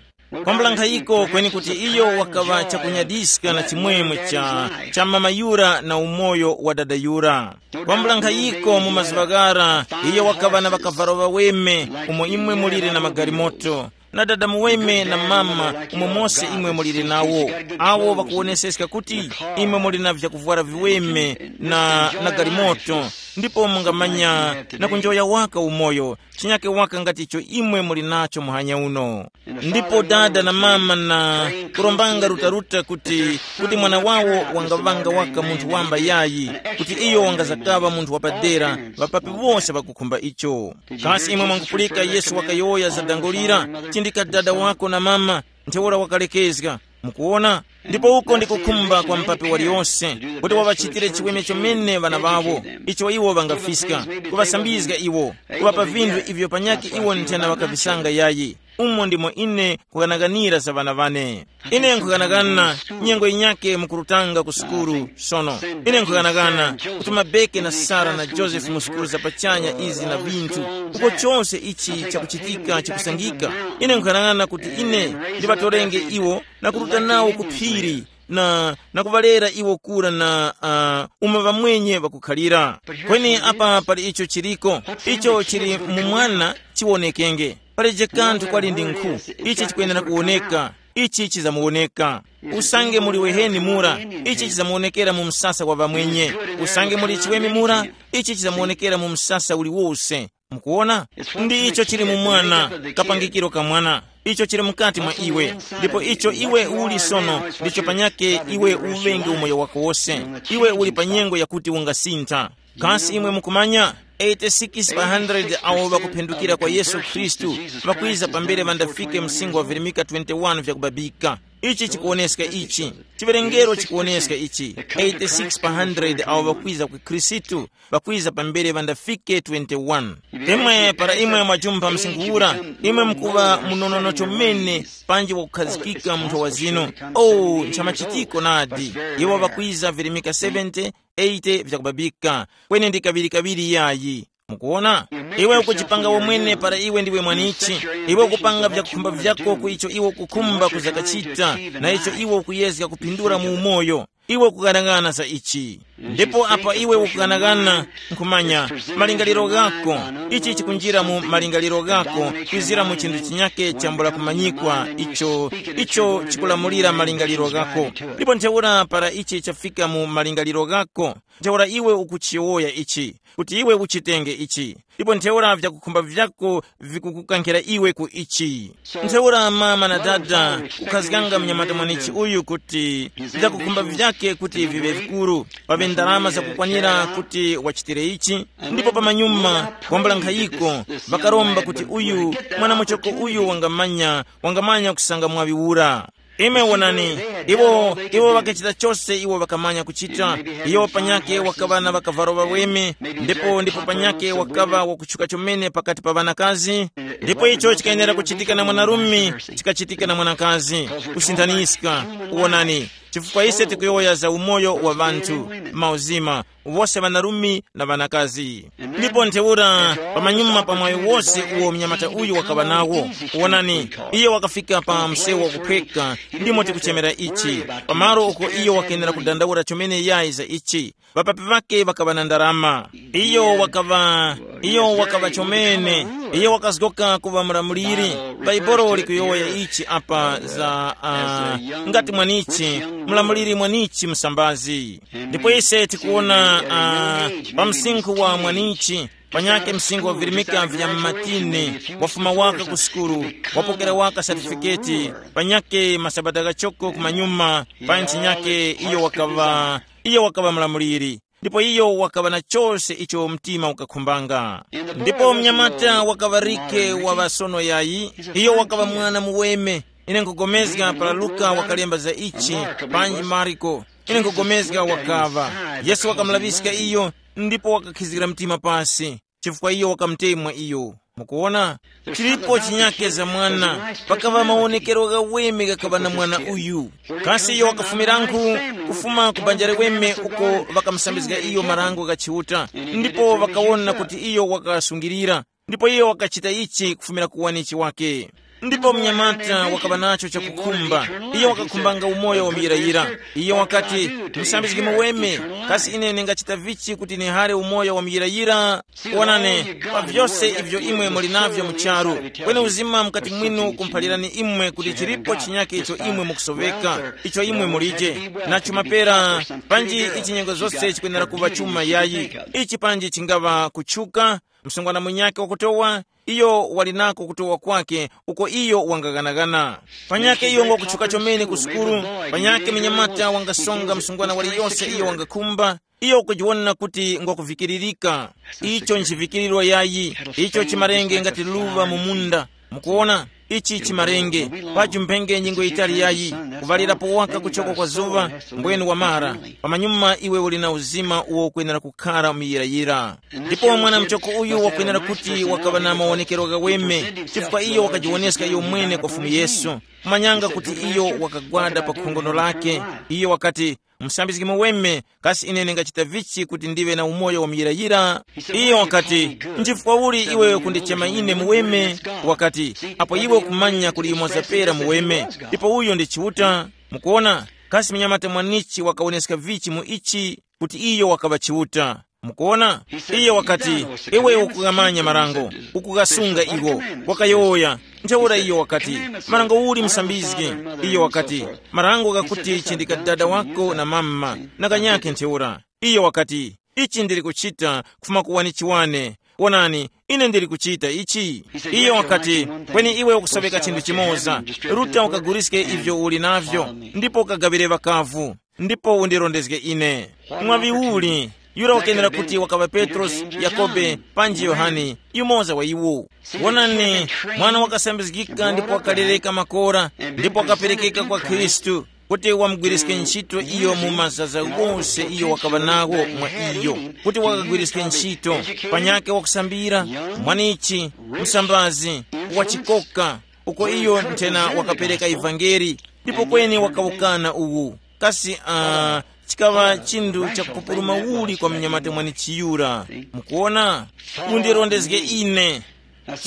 Kwambula nkhayiko kweni kuti iyo wakaŵa chakunyadiska na chimwemwe cha cha mama yura na umoyo wa dada yura. Kwambula nkhayiko mu mazuŵa ghara, iyo wakaŵa na ŵakavalo ŵaweme, umo imwe mulire na magalimoto, na dada muweme na mama, umo mose imwe mulire nawo. Awo ŵakuwoneseska kuti imwe muli na vyakuvwara viweme na na galimoto, ndipo mungamanya na kunjoya waka umoyo, chinyake waka ngati icho imwe muli nacho muhanya uno. Ndipo dada na mama na kurombanga rutaruta kuti kuti mwana wawo wangaŵanga waka munthu wamba yayi, kuti iyo wangazakaŵa munthu wapadera, ŵapapi wose ŵakukhumba icho. Kasi imwe mwangupulika Yesu wakayowoya za dango lira, chindika dada wako na mama, ntheura wakalekezga. Mukuwona? Ndipo uko ndiko khumba kwa mupapi waliyose, kuti waŵachitire chiweme chomene ŵana ŵawo, icho iwo ŵangafiska, kuŵasambizga iwo, kuŵapa vinthu ivyo panyakhe iwo nthena ŵakavisanga yayi. Umo ndimo ine nkhughanaghanira za ŵana ŵane. Ine nkhughanagana nyengo yinyakhe mukurutanga ku sukulu sono. Ine nkhughanagana kuti mabeke na sara na josefu mu sukulu za pachanya izi na vinthu, uko chose ichi chakuchitika chikusangika. Ine nkhughanagana kuti ine ndiŵatorenge iwo na kuruta nawo ku phiri na na kuŵalera iwo kura na uh, umo ŵamwenye ŵakukhalira. Kweni apa pali icho chiliko, icho chili mu mwana chiwonekenge. Paleje kanthu kwali ndi nkhu, ichi chikwenera kuwoneka, ichi chizamuwoneka. Usange muli weheni mura, ichi chizamuwonekera mu msasa wa ŵamwenye. Usange muli chiweme mura, ichi chizamuwonekera mu msasa uliwose. Mukuwona? Ndi icho chili mu mwana, kapangikiro ka mwana. Icho chili mukati mwa iwe. Ndipo icho iwe uli sono, ndicho panyake iwe uŵenge umoyo wako wose. Iwe uli pa nyengo yakuti ungasintha. Kasi imwe mukumanya, eighty-six pa hundred awo ŵakuphendukira kwa Yesu Khristu ŵakwiza pambere ŵandafike msingo wa virimika twenty-one vyakubabika. Ichi chikuwoneska ichi. Chiwerengero chikuwoneska ichi. Eighty-six pa hundred awo ŵakwiza ku Khristu, ŵakwiza pambere ŵandafike twenty-one. Imwe para imwe mwajumpha msinkhu ura, imwe mukuŵa munonono chomene panji wakukhazikika munthu wa zinu. Oh, nchamachitiko nadi. Iwo ŵakwiza virimika seventy, eighty vyakubabika, kweni ndi kaŵiri-kaŵiri yayi. Mukuwona? Iwe ukuchipanga womwene para iwe ndiwe mwanichi. Iwe ukupanga vyakukhumba vyako ku icho iwe ukukhumba kuzakachita, na icho iwe ukuyezga kupindula mu umoyo. Iwe ukughanagana za ichi. Ndipo apa iwe ukughanagana, nkhumanya, malingaliro ghako, ichi chikunjira mu malingaliro ghako, kwizira mu chinthu chinyake chambula kumanyikwa, icho icho chikulamulira malingaliro ghako. Ndipo ntheura para ichi chafika mu malingaliro ghako, ntheura iwe ukuchiyowoya ichi, kuti iwe uchitenge ichi. Ndipo ntheura vyakukhumba vyako vikukukankhira iwe ku ichi. Ntheura mama na dada, kukhazganga mnyamata mwanichi uyu kuti vyakukhumba vyake kuti viŵe vikuru, paŵe ndalama zakukwanira kuti wachitire ichi. Ndipo pamanyuma, wambula nkhayiko, ŵakaromba kuti uyu mwana muchoko uyu wangamanya wangamanya kusanga mwaŵi ura. Imwe wonani, iwo iwo ŵakachita chose iwo ŵakamanya kuchita. Iyo panyake wakaŵa na ŵakavalo ŵaweme, ndipo ndipo panyake wakaŵa wakutchuka chomene pakati pa ŵanakazi. Ndipo icho chikayenera kuchitika na mwanarume, chikachitika na mwanakazi. Kusinthaniska. Wonani, chifukwa ise tikuyowoya za umoyo wa ŵanthu, mauzima, wose ŵanarume na ŵanakazi. Ndipo ntheura pamanyuma pa mwayi wose uwo mnyamata uyu wakaŵa nawo, wonani, iye wakafika pa msewu wakuphweka, ndimo tikuchemera ichi, pamalo uko iyo wakenera kudandaula chomene yayi za ichi. Ŵapapi ŵake ŵakaŵa na ndarama. Iyo wakaŵa Iyo wakaŵa chomene. Iyo wakazgoka kuŵa mlamuliri. Bhaibuli likuyowoya ichi apa za uh, ngati mwanichi, mlamuliri mwanichi msambazi. Ndipo ise tikuwona uh, pa msinkhu wa mwanichi, panyake msinkhu wavirimika vya mmatini, wafuma waka ku sukulu, wapokera waka satifiketi, panyake masabata ghachoko kumanyuma, pa ntchi nyake iyo wakaŵa iyo wakaŵa mlamuliri. Ndipo iyo wakaŵa na chose icho mtima ukakhumbanga. Ndipo mnyamata wakaŵa rike wa ŵasono yayi, iyo wakaŵa mwana muweme. Ine nkugomezga para Luka wakalemba za ichi, panji Mariko. Ine nkugomezga wakaŵa. Yesu wakamulaŵiska iyo, ndipo wakakhizgira mtima pasi, chifukwa iyo wakamutemwa iyo. Mukuwona, chilipo chinyake za mwana. Pakaŵa mawonekero ghaweme ghakaŵa na mwana uyu. Kasi iyo wakafumiranku? Kufuma ku banja liweme uko ŵakamusambizga iyo marango gha Chiuta, ndipo ŵakawona kuti iyo wakasungilira. Ndipo iyo wakachita ichi kufumira ku wanichi wake. Ndipo mnyamata wakaŵa nacho chakukhumba. Iyo wakakhumbanga umoyo wa muyirayira. Iyo wakati, musambizgi muweme, kasi ine ningachita vichi kuti nihare umoyo wa muyirayira? Wonani, pa vyose ivyo imwe muli navyo mu charu, kweni uzima mukati mwinu ukumphalirani imwe kuti chilipo chinyake icho imwe mukusoveka, icho imwe mulije. Na chuma pera, panji ichi nyengo zose chikwenera kuŵa chuma yayi. Ichi panji chingaŵa kutchuka, msungwana munyakhe wakutowa, iyo wali nako kutowa kwakhe uko iyo wangaghanagana. Panyakhe iyo ngwakutchuka chomene ku sukulu, panyakhe munyamata wangasonga msungwana waliyose iyo wangakhumba, iyo ukujiwona kuti ngwakuvikiririka. Icho nchivikiriro yayi. Icho chimarenge ngati luva mu munda. Mukuwona, ichi chimarenge. Paji mphenge nyingo yitali yayi, kuvalirapo waka kuchoka kwa zuŵa, mbwenu wamara. Pamanyuma iwe uli na uzima uwo ukwenera kukhara muyirayira. Ndipo mwana muchoko uyu wakwenera kuti wakaŵa na mawonekero ghaweme, chifukwa iyo wakajiwoneska iyo mwene kwa Fumu Yesu. Kumanyanga kuti iyo wakagwada pa khongono lake. Iyo wakati, musambizgi muweme, kasi ine ndingachita vichi kuti ndiŵe na umoyo wa muyirayira? Iyo wakati, nchifukwa uli iwe kundichema ine muweme? Wakati, apo iwe ukumanya kuli yumoza pera muweme, ndipo uyo ndi Chiuta. Mukuona, kasi munyamata mwanichi wakawoneska vichi mu ichi kuti iyo wakaŵa Chiuta? Mukuona, iyo wakati, iwe ukughamanya marango, ukughasunga iwo. Wakayowoya. Ntheura iyo wakati, marango uli musambizgi? Iyo wakati, marango ghakuti chindika dada wako na mama, na kanyakhe ntheura. Iyo wakati, ichi ndili kuchita kufuma ku wanichi wane. Wonani, ine ndili kuchita ichi. Iyo wakati, kweni iwe ukusoveka chinthu chimoza. Ruta ukaguliske ivyo uli navyo, ndipo ukagaŵire ŵakavu, ndipo undirondezge ine. Mwaŵi uli, yura wakenera kuti wakaŵa Petrosi, Yakobe, panji Yohane, yumoza wa iwo. Wonani, mwana wakasambizgika ndipo wakalereka makora, ndipo wakaperekeka kwa Khristu, kuti wamugwiriske ntchito iyo mu mazaza ghose iyo wakaŵa nagho mwa iyo, kuti wakagwiriske ntchito, panyakhe wakusambira, mwanichi, msambazi, wachikoka, uko iyo nthena wakapereka ivangeli, ndipo kweni wakawukana uwu. Kasi uh, chikaŵa chinthu chakupupuluma uli kwa mnyamata mwanichiyura? Mukuona, undirondezge ine.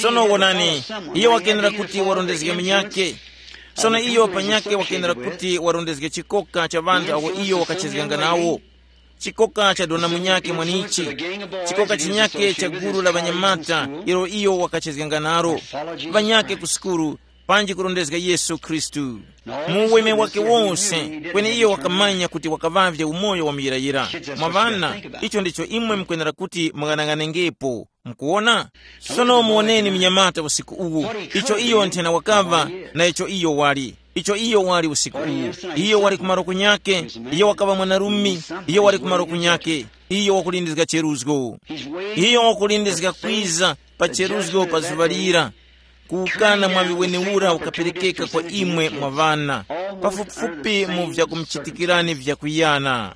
Sono wonani, iyo wakenera kuti warondezge munyakhe. Sono iyo panyakhe wakenera kuti warondezge chikoka cha ŵanthu awo iyo wakachezganga nawo. Chikoka cha dona munyakhe mwanichi. Chikoka chinyakhe cha gulu la ŵanyamata ilo iyo wakachezganga nalo, ŵanyakhe ku sukulu, panji kurondezga Yesu Khristu mu uweme wake wonse. Kweni iyo wakamanya kuti wakaŵavye umoyo wa muyirayira. Mwa ŵana, icho ndicho imwe mukwenera kuti mung'anang'anengepo. Mukuwona? Sono muwoneni mnyamata usiku uwu, icho iyo nthena wakaŵa, na icho iyo wali, icho iyo wali usiku uwu. Iyo wali kumaro kunyake, iyo wakaŵa mwanarume, iyo wali kumaro kunyake, iyo wakulindizga cheruzgo. Iyo wakulindizga kwiza pa cheruzgo pa zuŵa lira. Kuwukana mwaŵi wenewura ukaperekeka kwa imwe mwa ŵana, pafupifupi mu vyakumuchitikirani vyakuyana.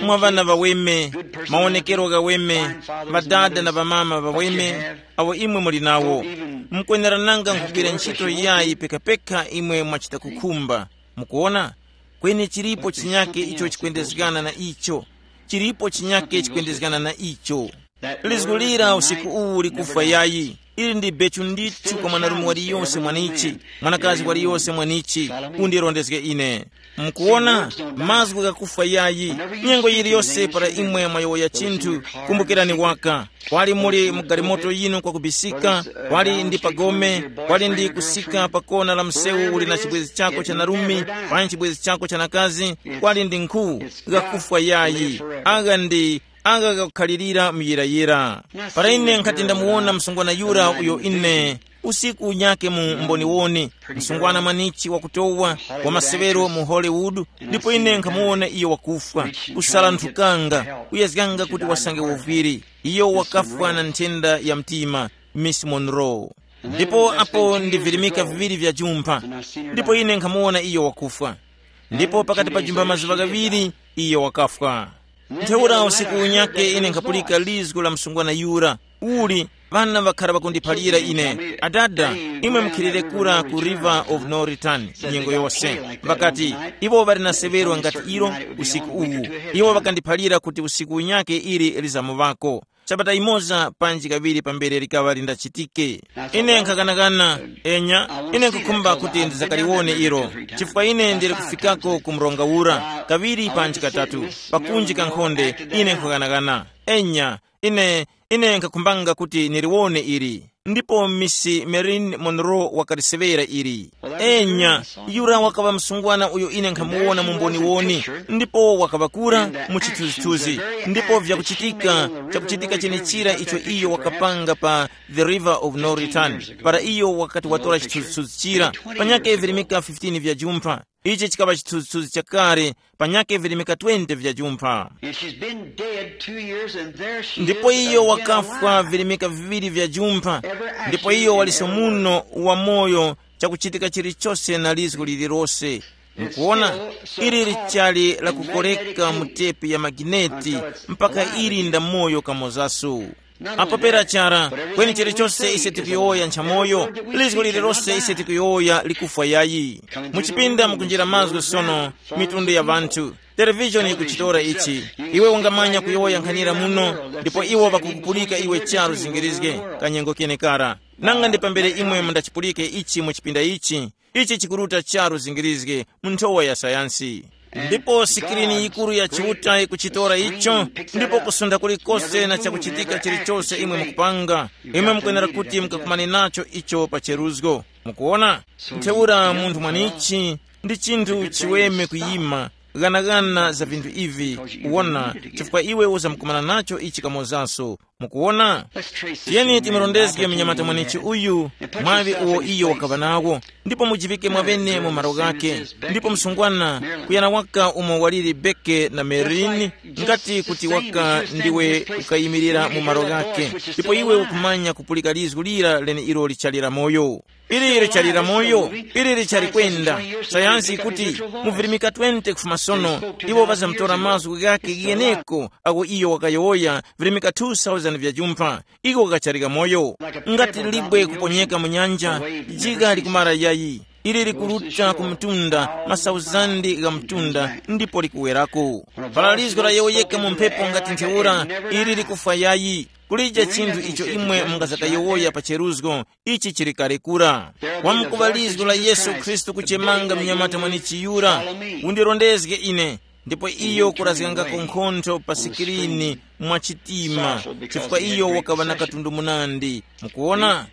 Mwa ŵana ŵaweme, mawonekero ghaweme, ŵadada na ŵamama ŵaweme, awo imwe muli nawo, mukwenerananga nkhugwira ntchito yayi pekapeka imwe mwachita kukhumba. Mukuwona? Kweni chilipo chinyake icho chikwendezgana na icho. Chilipo chinyake chikwendezgana na icho. Lizgu lira usiku uwu likufwa yayi. Ili ndi bechu ndithu kwa mwanarume waliyose mwanichi, mwanakazi waliyose mwanichi. Undirondezge ine. Mukuwona, mazgu ghakufwa yayi. Nyengo yiliyose para imwe mwayowoya chinthu, kumbukirani waka. Kwali muli mu galimoto yinu kwakubisika, kwali ndi pagome, kwali ndi kusika pa kona la msewu uli na chibwezi chako cha narumi, panyi chibwezi chako cha nakazi, kwali ndi nkhu, ghakufwa yayi. Agha ndi agha ghakukhalirira muyirayira. Para ine nkhati ndamuwona msungwana yura uyo ine usiku unyake mu mboniwoni, msungwana mwanichi wakutowa, wa masewero mu Hollywood, ndipo ine nkhamuwona iyo wakufwa, kusalanthukanga, kuyezganga kuti wasange uviri. Iyo wakafwa na nthenda ya mtima, Miss Monroe. Ndipo apo ndi virimika viŵiri vya jumpha, ndipo ine nkhamuwona iyo wakufwa. Ndipo pakati pa jumpha mazuŵa ghaŵiri, iyo wakafwa. Ntheura usiku unyake ine nkhapulika lizgu la msungwana yura, uli, ŵana ŵakhara ŵakundiphalira ine, adada, imwe mukhilire kura ku River of No Return. Nyengo yose ŵakati, iwo ŵali na seŵero ngati ilo, usiku uwu. Iwo ŵakandiphalira kuti usiku unyake ili lizamuŵako, sabata imoza panji kaŵiri pambere likaŵa lindachitike. Ine nkhakanakana, enya, ine nkhukhumba kuti ndizakaliwone ilo, chifukwa ine ndili kufikako ku mronga ura kaŵiri panji katatu, pakunji kankhonde. Ine nkhakanakana, enya, ine ine nkakhumbanga kuti niliwone ili. Ndipo misi Marilyn Monroe wakaliseŵera ili. Enya, yura wakaŵa msungwana uyo ine nkhamuwona mu mboniwoni, ndipo wakaŵa kura mu chithunzithunzi. Ndipo vyakuchitika, chakuchitika chenechira icho iyo wakapanga pa The River of No Return, para iyo wakati watora chithunzithunzi chira, panyake virimika fifteen vya jumpha. Ichi chikaŵa chithunzithunzi chakale, panyake virimika twenty vya jumpha. And she's been dead two years, and there she ndipo is iyo again wakafwa alive. Virimika viŵiri vya jumpha. Ndipo iyo waliso muno wamoyo, chakuchitika chilichose na lizgu lililose. Mukuona, ili lichali la kukoleka mu tepi ya magineti mpaka ili nda moyo kamozaso. Apo pera chara, kweni chilichose ise tikuyowoya nchamoyo, lizgu lililose ise tikuyowoya likufwa yayi. Muchipinda mukunjira mazgu sono, mitundu ya ŵanthu. Televishoni ikuchitora ichi. Iwe ungamanya kuyowoya nkhanira muno, ndipo iwo ŵakukupulika iwe charu zingirizge, kanyengo kenekara. Nanga ndi pambere imwe mundachipulike ichi mu chipinda ichi, ichi chikuruta charu zingirizge mu nthowa ya sayansi. Ndipo sikirini yikuru ya Chiuta ikuchitora icho, ndipo kusunda kulikose na chakuchitika chilichose imwe mukupanga, imwe mukwenera kuti mukakumane nacho icho pa cheruzgo. Mukuona? Ntheura munthu mwanichi ndi chinthu chiweme kuyima, ghanaghana za vinthu ivi, kuwona, chifukwa iwe uzamukumana nacho ichi kamozanso. Mukuwona? Tiyeni timurondezge mnyamata mwanechi uyu, mwaŵi uwo iyo wakaŵa nawo, ndipo mujivike mwavene mu malo ghake. Ndipo msungwana, kuyana waka umo waliri Beke na Merini, ngati kuti waka ndiwe ukayimirira mu malo ghake, ndipo iwe ukumanya kupulika lizgu lira lene ilo lichali la moyo. Ili lichali la moyo, ili lichali kwenda. Sayansi ikuti mu virimika twenty kufuma sono, iwo ŵazamutora mazgu ghakhe gheneko agho iyo wakayowoya, virimika two thousand vya jumpha, iko kachali kamoyo. Ngati libwe kuponyeka mu nyanja, jiga likumara yayi. Ili likuruta ku mtunda, masauzandi gha mtunda, ndipo likuwerako. Para lizgo layowoyeka mu mphepo ngati ntheura, ili likufwa yayi. Kulija chinthu icho imwe mungazakayowoya pa cheruzgo, ichi chili kale kura. Wamkuŵa lizgo la Yesu Khristu kuchemanga mnyamata mwenechiyura, undirondezge ine, ndipo iyo kurazgangako nkhontho pa sikirini mwa chitima, chifukwa iyo wakaŵa na katundu munandi. Mukuwona?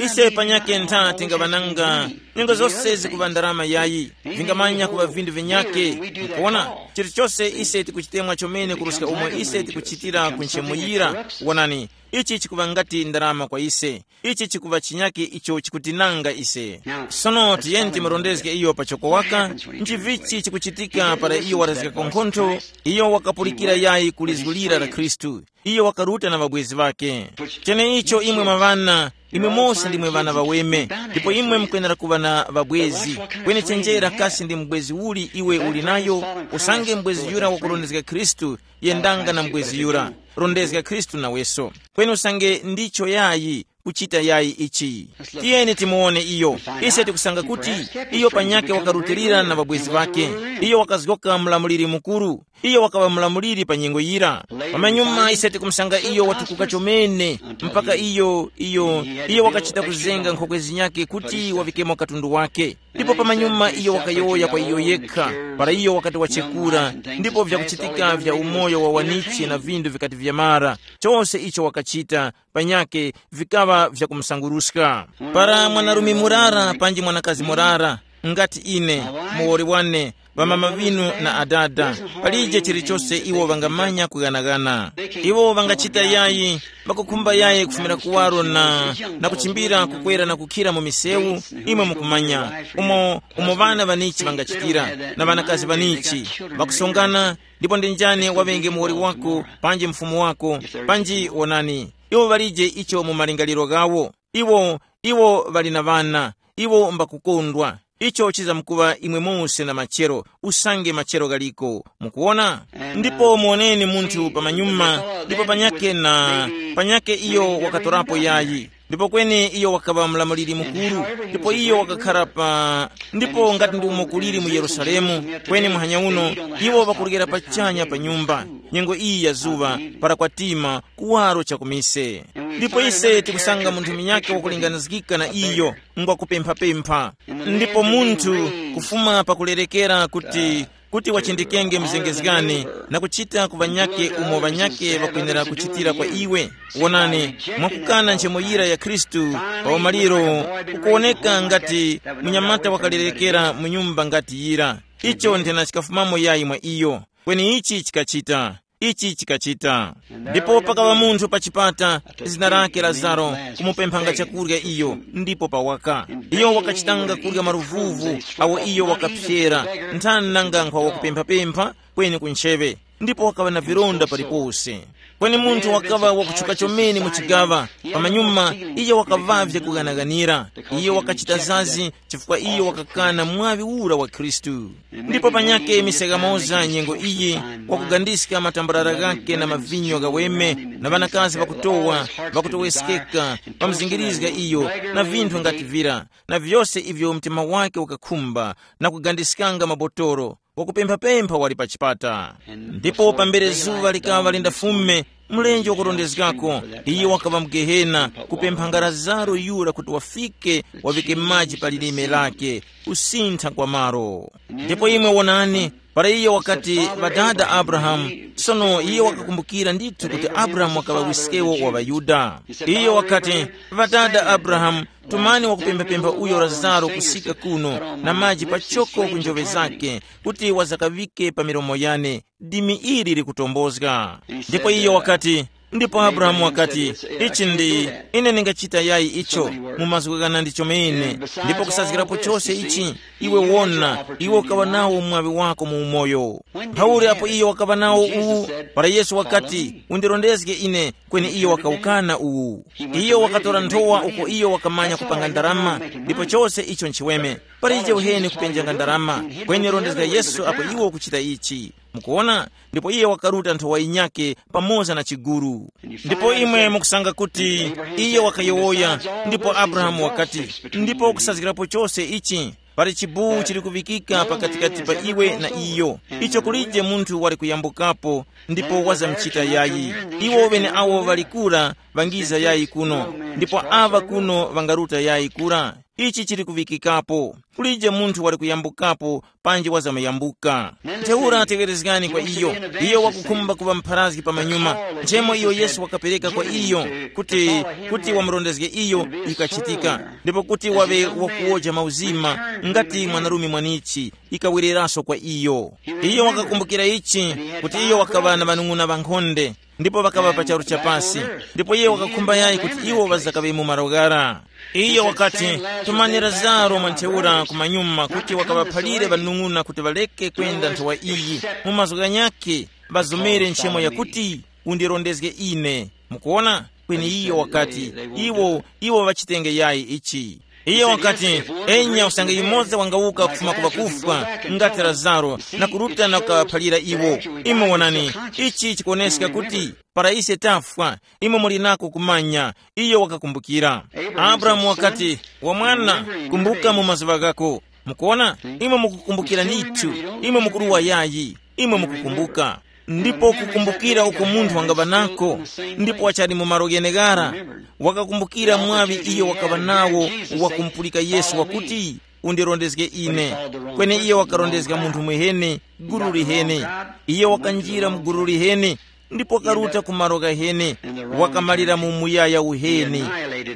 Ise panyake ntha tingaŵananga, nyengo zose zikuŵa ndarama yayi, vingamanya kuŵa vinthu vinyake. Mukuwona? Chilichose ise tikuchitemwa chomene kuruska umo ise tikuchitira ku nchemuyira. Wonani, ichi chikuŵa ngati ndarama kwa ise. Ichi chikuŵa chinyake icho chikutinanga ise. Sono tiyeni timurondezge iyo pachoko waka. Nchivichi chikuchitika para iyo warazgako nkhontho? Iyo wakapulikira yayi ku lizgu lira la Khristu. Iyo wakaruta na ŵabwezi ŵakhe. Cheneicho imwe mwa ŵana, imwe mose ndimwe ŵana ŵaweme, ndipo imwe mukwenera kuŵa na ŵabwezi. Kweni chenjera kasi ndi mubwezi uli iwe uli nayo? Usange mubwezi yura wakurondezga Khristu, yendanga na mubwezi yura, rondezga Khristu naweso. Kweni usange ndicho yayi, kuchita yayi ichi. Tiyeni timuwone iyo. Ise tikusanga kuti iyo panyakhe wakarutilira na ŵabwezi ŵakhe. Iyo wakazgoka mlamuliri mukuru. Iyo wakaŵa mulamuliri pa nyengo yira. Pamanyuma ise tikumusanga iyo watukuka chomene, mpaka iyo iyo iyo wakachita kuzenga nkhokwe zinyake kuti wavikemo katundu wake. Ndipo pamanyuma iyo wakayowoya kwa iyo yekha, para iyo wakati wachekura, ndipo vyakuchitika vya umoyo wa wanichi na vindu vikati vyamara, chose icho wakachita panyake vikaŵa vyakumusanguruska. Para mwanarume murara panji mwanakazi murara, ngati ine, muwoli wane, ŵamama ŵinu na adada, palije chilichose iwo ŵangamanya kughanaghana. Iwo ŵangachita yayi, ŵakukhumba yayi kufumira kuwaro na, na kuchimbira kukwera na kukhira mu misewu, imwe mukumanya, umo umo ŵana ŵanichi ŵangachitira, na ŵanakazi ŵanichi, ŵakusongana, ndipo ndi njani waŵenge muwoli wako, panji mfumu wako, panji wonani, iwo ŵalije icho mu malingaliro ghawo. Iwo iwo ŵali na ŵana, iwo mbakukondwa. Icho chizamkuŵa imwe mose na machero, usange machero ghaliko. Mukuwona? Ndipo muwoneni munthu pamanyuma, ndipo panyake na panyake iyo wakatorapo yayi. Ndipo kweni iyo wakaŵa mlamuliri mukuru, ndipo iyo wakakhara pa ndipo ngati ndi umo kuliri mu Yerusalemu, kweni muhanya uno iwo ŵakuryera pachanya pa nyumba, nyengo iyi ya zuŵa, para kwatima, kuwaro cha kumise. Ndipo ise tikusanga munthu munyakhe wakulinganizgika na iyo, ngwa kupemphapempha. Ndipo munthu kufuma pakulerekera kuti kuti wachindikenge mzengezgani, na kuchita ku ŵanyakhe umo ŵanyakhe ŵakwenera kuchitira kwa iwe. Wonani, mwakukana nchemo yira ya Khristu, pa umaliro ukuwoneka ngati munyamata wakalerekera mu nyumba ngati yira. Icho nthena chikafumamo yayi mwa iyo. Kweni ichi chikachita, ichi chikachita. Ndipo pakaŵa munthu pa chipata, zina lake Lazaro, kumupemphanga chakurya iyo, ndipo pawaka. Iyo wakachitanga kurya maruvuvu awo iyo wakaphyera, nthani nanga nkhwa wakupemphapempha, kweni ku ntcheŵe, ndipo wakaŵa na vilonda palipose. Kweni munthu wakaŵa wakutchuka chomene mu chigaŵa, pamanyuma iyo wakaŵavye kughanaghanira. Iyo wakachita zazi chifukwa iyo wakakana mwaŵi ura wa Khristu. Ndipo panyakhe misekamoza nyengo iyi, wakugandiska matambarara ghakhe na mavinyo ghaweme, na ŵanakazi ŵakutowa, ŵakutoweskeka, ŵamuzingirizga iyo, na vinthu ngati vira, na vyose ivyo mtima wake ukakhumba, na kugandiskanga mabotoro, wakupemphapempha wali pa chipata. Ndipo pambere zuŵa likaŵa lindafume, mlenje wakurondezgako, iyo wakaŵa mu Gehena, kupemphanga Lazaro yura kuti wafike, waŵike maji pa lilime lake, kusintha kwa malo. Ndipo imwe wonani, para iyo wakati, ŵadada Abrahamu, sono iyo wakakumbukira ndithu kuti Abrahamu wakaŵa wiskewo wa ŵaYuda. Iyo wakati, ŵadada Abrahamu, tumani wakupemphapempha uyo Lazaro kusika kuno, na maji pachoko ku njoŵe zake, kuti wazakaŵike pa milomo yane, dimi ili likutombozga. Ndipo iyo wakati, ndipo Abrahamu wakati, ichi ndi, ine ndingachita yayi icho, mu mazgu ghana ndi chomene, ndipo kusazgirapo chose ichi, iwe wona, iwe ukaŵa nawo mwaŵi wako mu umoyo. Mphauli apo iyo wakaŵa nawo uwu, para Yesu wakati, undirondezge ine, kweni iyo wakawukana uwu. Iyo wakatora nthowa uko iyo wakamanya kupanga ndarama, ndipo chose icho nchiweme. Palije uheni kupenjanga ndarama, kweni rondezga Yesu apo iwo ukuchita ichi. Mukuona? Ndipo iye wakaruta nthowa yinyakhe pamoza na chiguru. Ndipo imwe mukusanga kuti iye wakayowoya, ndipo Abrahamu wakati, ndipo kusazgirapo chose ichi, pali chibuwu chili kuŵikika pakatikati pa iwe na iyo, icho kulije munthu wali kuyambukapo, ndipo wazamuchita yayi. Iwo ŵeneawo ŵali kura ŵangiza yayi kuno, ndipo aŵa kuno ŵangaruta yayi kura. Ichi chili kuŵikikapo. Kulije munthu wali kuyambukapo panji wazamuyambuka. Ntheura teŵerezgani kwa iyo. Iyo wakukhumba kuŵa mpharazgi pamanyuma. Nchemo iyo Yesu wakapereka kwa iyo kuti, kuti wamurondezge iyo, ikachitika, ndipo kuti waŵe wakuwoja mauzima, ngati mwanarume mwanichi, ikawereraso kwa iyo. Iyo wakakumbukira ichi, kuti iyo wakaŵa na ŵanung'una ŵankhonde, ndipo ŵakaŵa pa charu cha pasi. Ndipo iye wakakhumba yayi kuti iwo ŵazakaŵe mu malo ghara. Iyo wakati, tumani Lazaro mwa ntheura kumanyuma kuti wakaŵaphalire ŵanung'una kuti ŵareke kwenda nthowa iyi, mu mazgu ghanyakhe ŵazomere nchemo yakuti, undirondezge ine. Mukuona? Kweni iyo wakati, iwo, iwo ŵachitenge yayi ichi. Iyo wakati, enya usange yumoza wangawuka kufuma ku ŵakufwa, ngati Lazaro, na kuruta na kukaphalira iwo. Imwe wonani, ichi chikuwoneska kuti, para ise tafwa, imwe muli nako kumanya. Iyo wakakumbukira. Abrahamu wakati, wa mwana, kumbuka mu mazuŵa ghako. Mukuona? Imwe mukukumbukira ndithu. Imwe mukuruwa yayi. Imwe mukukumbuka. Ndipo kukumbukira uko munthu wangaŵa nako, ndipo wachali mu malo gheneghara, wakakumbukira mwaŵi iyo wakaŵa nawo, wakumupulika Yesu wakuti, undirondezge ine. Kweni iyo wakarondezga munthu mwiheni, gulu liheni. Iyo wakanjira mu gulu liheni, ndipo wakaruta ku malo ghaheni, wakamalira mu muyaya uheni,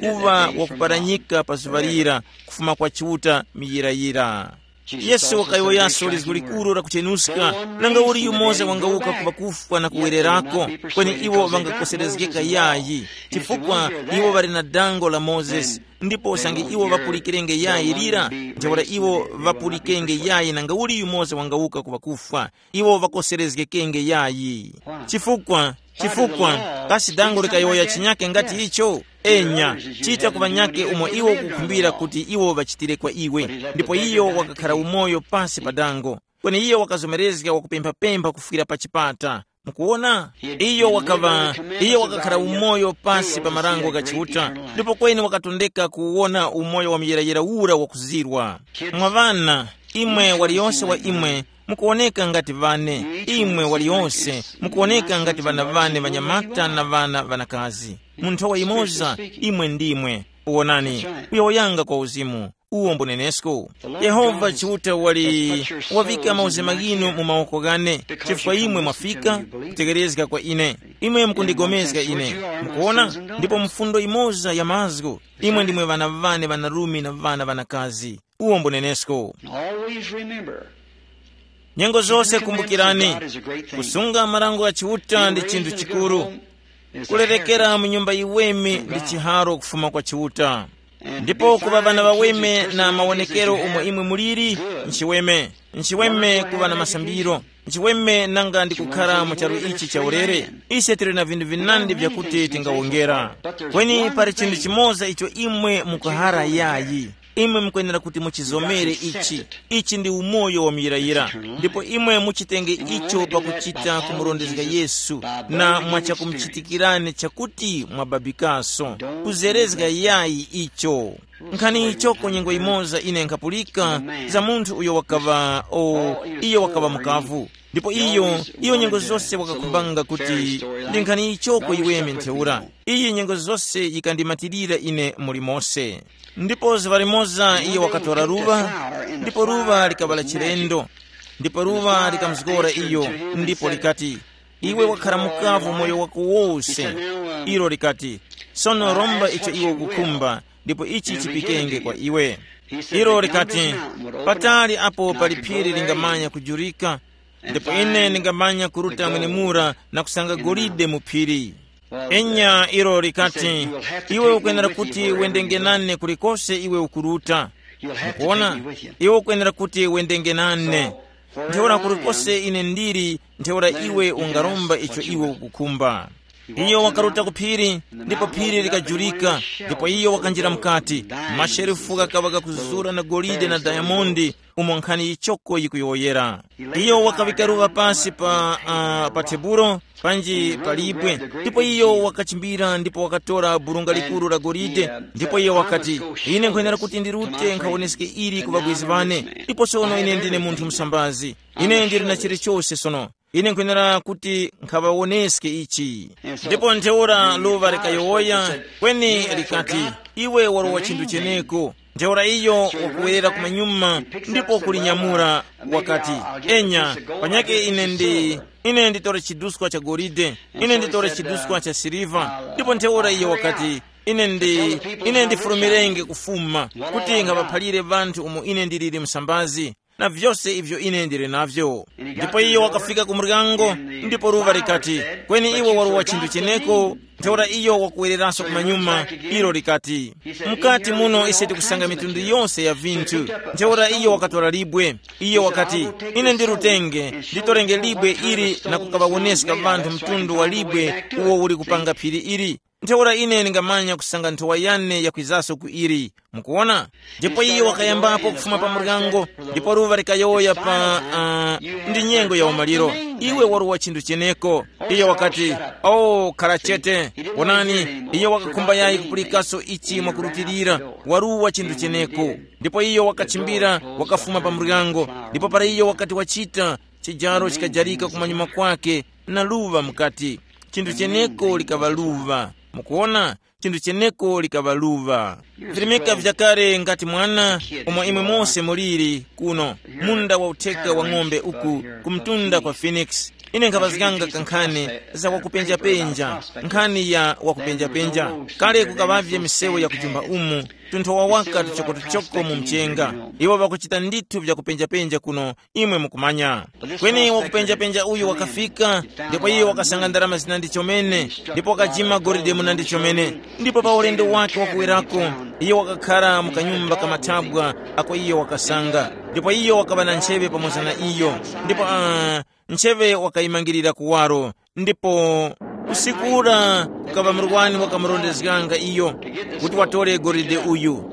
kuŵa wakuparanyika pa zuŵa lira, kufuma kwa Chiuta miyirayira. Yesu wakayowoyaso lizgu likuru lakuchenuska, nanga uli yumoza wangawuka ku ŵakufwa na kuwererako, kweni iwo ŵangakoserezgeka yayi, chifukwa iwo ŵali na dango la Mozesi. Ndipo usange iwo ŵapulikirenge yayi lira, ntheura iwo ŵapulikenge yayi nanga uli yumoza wangawuka ku ŵakufwa, iwo ŵakoserezgekenge yayi. Chifukwa, chifukwa, kasi dango likayowoya chinyake ngati icho? Enya, chita ku ŵanyake umo iwo ukukhumbira kuti iwo ŵachitire kwa iwe. Ndipo iyo wakakhara umoyo pasi pa dango. Kweni iyo wakazomerezga wakupemphapempha kufwira pa chipata. Mukuwona? Iyo wakaŵa, iyo wakakhara umoyo pasi pa marango gha Chiuta, ndipo kweni wakatondeka kuwona umoyo wa muyirayira ura wakuzirwa. Mwa ŵana, imwe waliyonse wa imwe mukuwoneka ngati ŵane, imwe waliyonse mukuwoneka ngati ŵana ŵane ŵanyamata na ŵana ŵanakazi. Mu nthowa yimoza, imwe ndimwe. Wonani, kuyowoyanga kwa uzimu. Uwo mbunenesko. Yehova Chiuta wali wavika mauzema ghinu mu mawoko ghane, chifukwa imwe mwafika kutekerezga kwa ine. Imwe mukundigomezga ine. Mukuona? Ndipo mfundo imoza ya mazgu, imwe ndimwe ŵana ŵane ŵanarume na ŵana ŵanakazi. Uwo mbunenesko. Always remember, nyengo zose kumbukirani, kusunga marango gha Chiuta ndi chinthu chikuru. Kulerekera mu nyumba yiweme ndi chiharo kufuma kwa Chiuta. Ndipo kuŵa ŵana ŵaweme na mawonekero umo imwe muliri, nchiweme, nchiweme kuŵa na masambiro, nchiweme nanga ndi kukhara mu charu ichi cha ulere. Ise tili na vinthu vinandi vyakuti tingawongera. Kweni pali chinthu chimoza icho imwe mukuhara yayi. Imwe mukwenera kuti muchizomere ichi. Ichi ndi umoyo wa muyirayira. Ndipo imwe muchitenge icho pakuchita kumurondezga Yesu, na mwachakumuchitikirani chakuti mwababikaso. Kuzerezga yayi icho. Nkhani ichoko nyengo imoza ine nkhapulika za munthu uyo wakaŵa o, iyo wakaŵa mukavu. Ndipo iyo, iyo nyengo zose wakakhumbanga kuti ndi nkhani ichoko iweme ntheura. Iyi nyengo zose yikandimatirira ine muli mose. Ndipo zuŵa limoza iyo wakatora luŵa, ndipo luŵa likaŵala chilendo. Ndipo luŵa likamuzgora iyo, ndipo likati, iwe wakhara mukavu moyo wako wose. Ilo likati, sono romba icho iwe ukukhumba, ndipo ichi chipikenge kwa iwe. Ilo likati, patali apo pali phiri lingamanya kujurika, ndipo ine ndingamanya kuruta mwenemura na kusanga golide mu phiri. Enya ilo likati, iwe ukwenera kuti wendenge nane kulikose iwe ukuruta. Mukuona? Iwe ukwenera kuti wendenge nane. Ntheura kulikose ine ndili, ntheura iwe ungaromba icho iwe ukukhumba. Iyo wakaruta ku phiri, ndipo phiri likajurika, ndipo iyo wakanjira mukati. Masherefu ghakaŵa ghakuzura na golide na dayamondi, umo nkhani yichoko yikuyowoyera. Iyo wakaŵika luŵa pasi pa, uh, pa tebulo, panji pa libwe, ndipo iyo wakachimbira ndipo wakatora burunga likuru la golide, ndipo iyo wakati, ine nkhwenera kuti ndirute nkhawoneske ili ku ŵabwezi ŵane, ndipo sono ine ndine munthu msambazi. Ine ndili na chilichose sono. Ine nkhwenera kuti nkhaŵawoneske ichi. Ndipo ntheura luŵa likayowoya, kweni likati, iwe walowa chinthu cheneko. Ntheura iyo wakuwerera kumanyuma ndipo kulinyamula, wakati, enya, panyake ine ndi, ine nditore chiduskwa cha golide, ine nditore chiduskwa cha siliva. Ndipo ntheura iyo wakati, ine ndi, ine ndifulumirenge kufuma kuti nkhaŵaphalire ŵanthu umo ine ndiliri msambazi, na vyose ivyo ine ndili navyo. Ndipo iyo wakafika ku muryango, ndipo luŵa likati, kweni iwe walowa chinthu cheneko. Ntheura iyo wakuwereranso kumanyuma, ilo likati, mukati muno ise tikusanga mitundu yonse ya vinthu. Ntheura iyo wakatora libwe. Iyo wakati, ine ndirutenge, nditorenge libwe ili na kukaŵawoneska ŵanthu mtundu wa libwe uwo uli kupanga phiri ili. Ntheura ine ndingamanya kusanga nthowa yane yakwizaso ku ili. Mukuwona? Ndipo iyo wakayambapo kufuma pa muryango, ndipo luŵa likayowoya pa, uh, ndi nyengo ya umaliro. Iwe waruwa chinthu cheneko. Iyo wakati, oh, khara chete. Wonani, iyo wakakhumba yayi kupulikaso ichi mwakurutilira, waruwa chinthu cheneko. Ndipo iyo wakachimbira, wakafuma pa muryango, ndipo para iyo wakati wachita, chijaro chikajarika kumanyuma kwake, na luŵa mukati. Chinthu cheneko likaŵa luŵa. Mukuona? Chinthu cheneko likaŵa luŵa. Virimika vyakale ngati mwana, umo imwe mose muliri kuno, munda wa utheka wa ng'ombe uku, ku mtunda kwa Phoenix. Ine nkhaŵazganga kankhani za kwakupenjapenja, nkhani ya wakupenjapenja. Kale kukaŵavye misewu ya kujumba umu, tunthowa waka tuchokotuchoko mu mchenga. Iwo ŵakuchita ndithu vyakupenjapenja kuno, imwe mukumanya. Kweni wakupenjapenja uyu wakafika, ndipo iye wakasanga ndarama zinandi chomene, ndipo wakajima golide munandi chomene. Ndipo pa ulendo wake wakuwerako, iye wakakhara mu kanyumba ka mathabwa ako iye wakasanga, ndipo iye wakaŵa na ncheŵe pamoza na iyo, ndipo uh, ncheŵe wakayimangirira kuwaro. Ndipo usiku ura kukaŵa murwani wakamurondezganga iyo kuti watore golide uyu.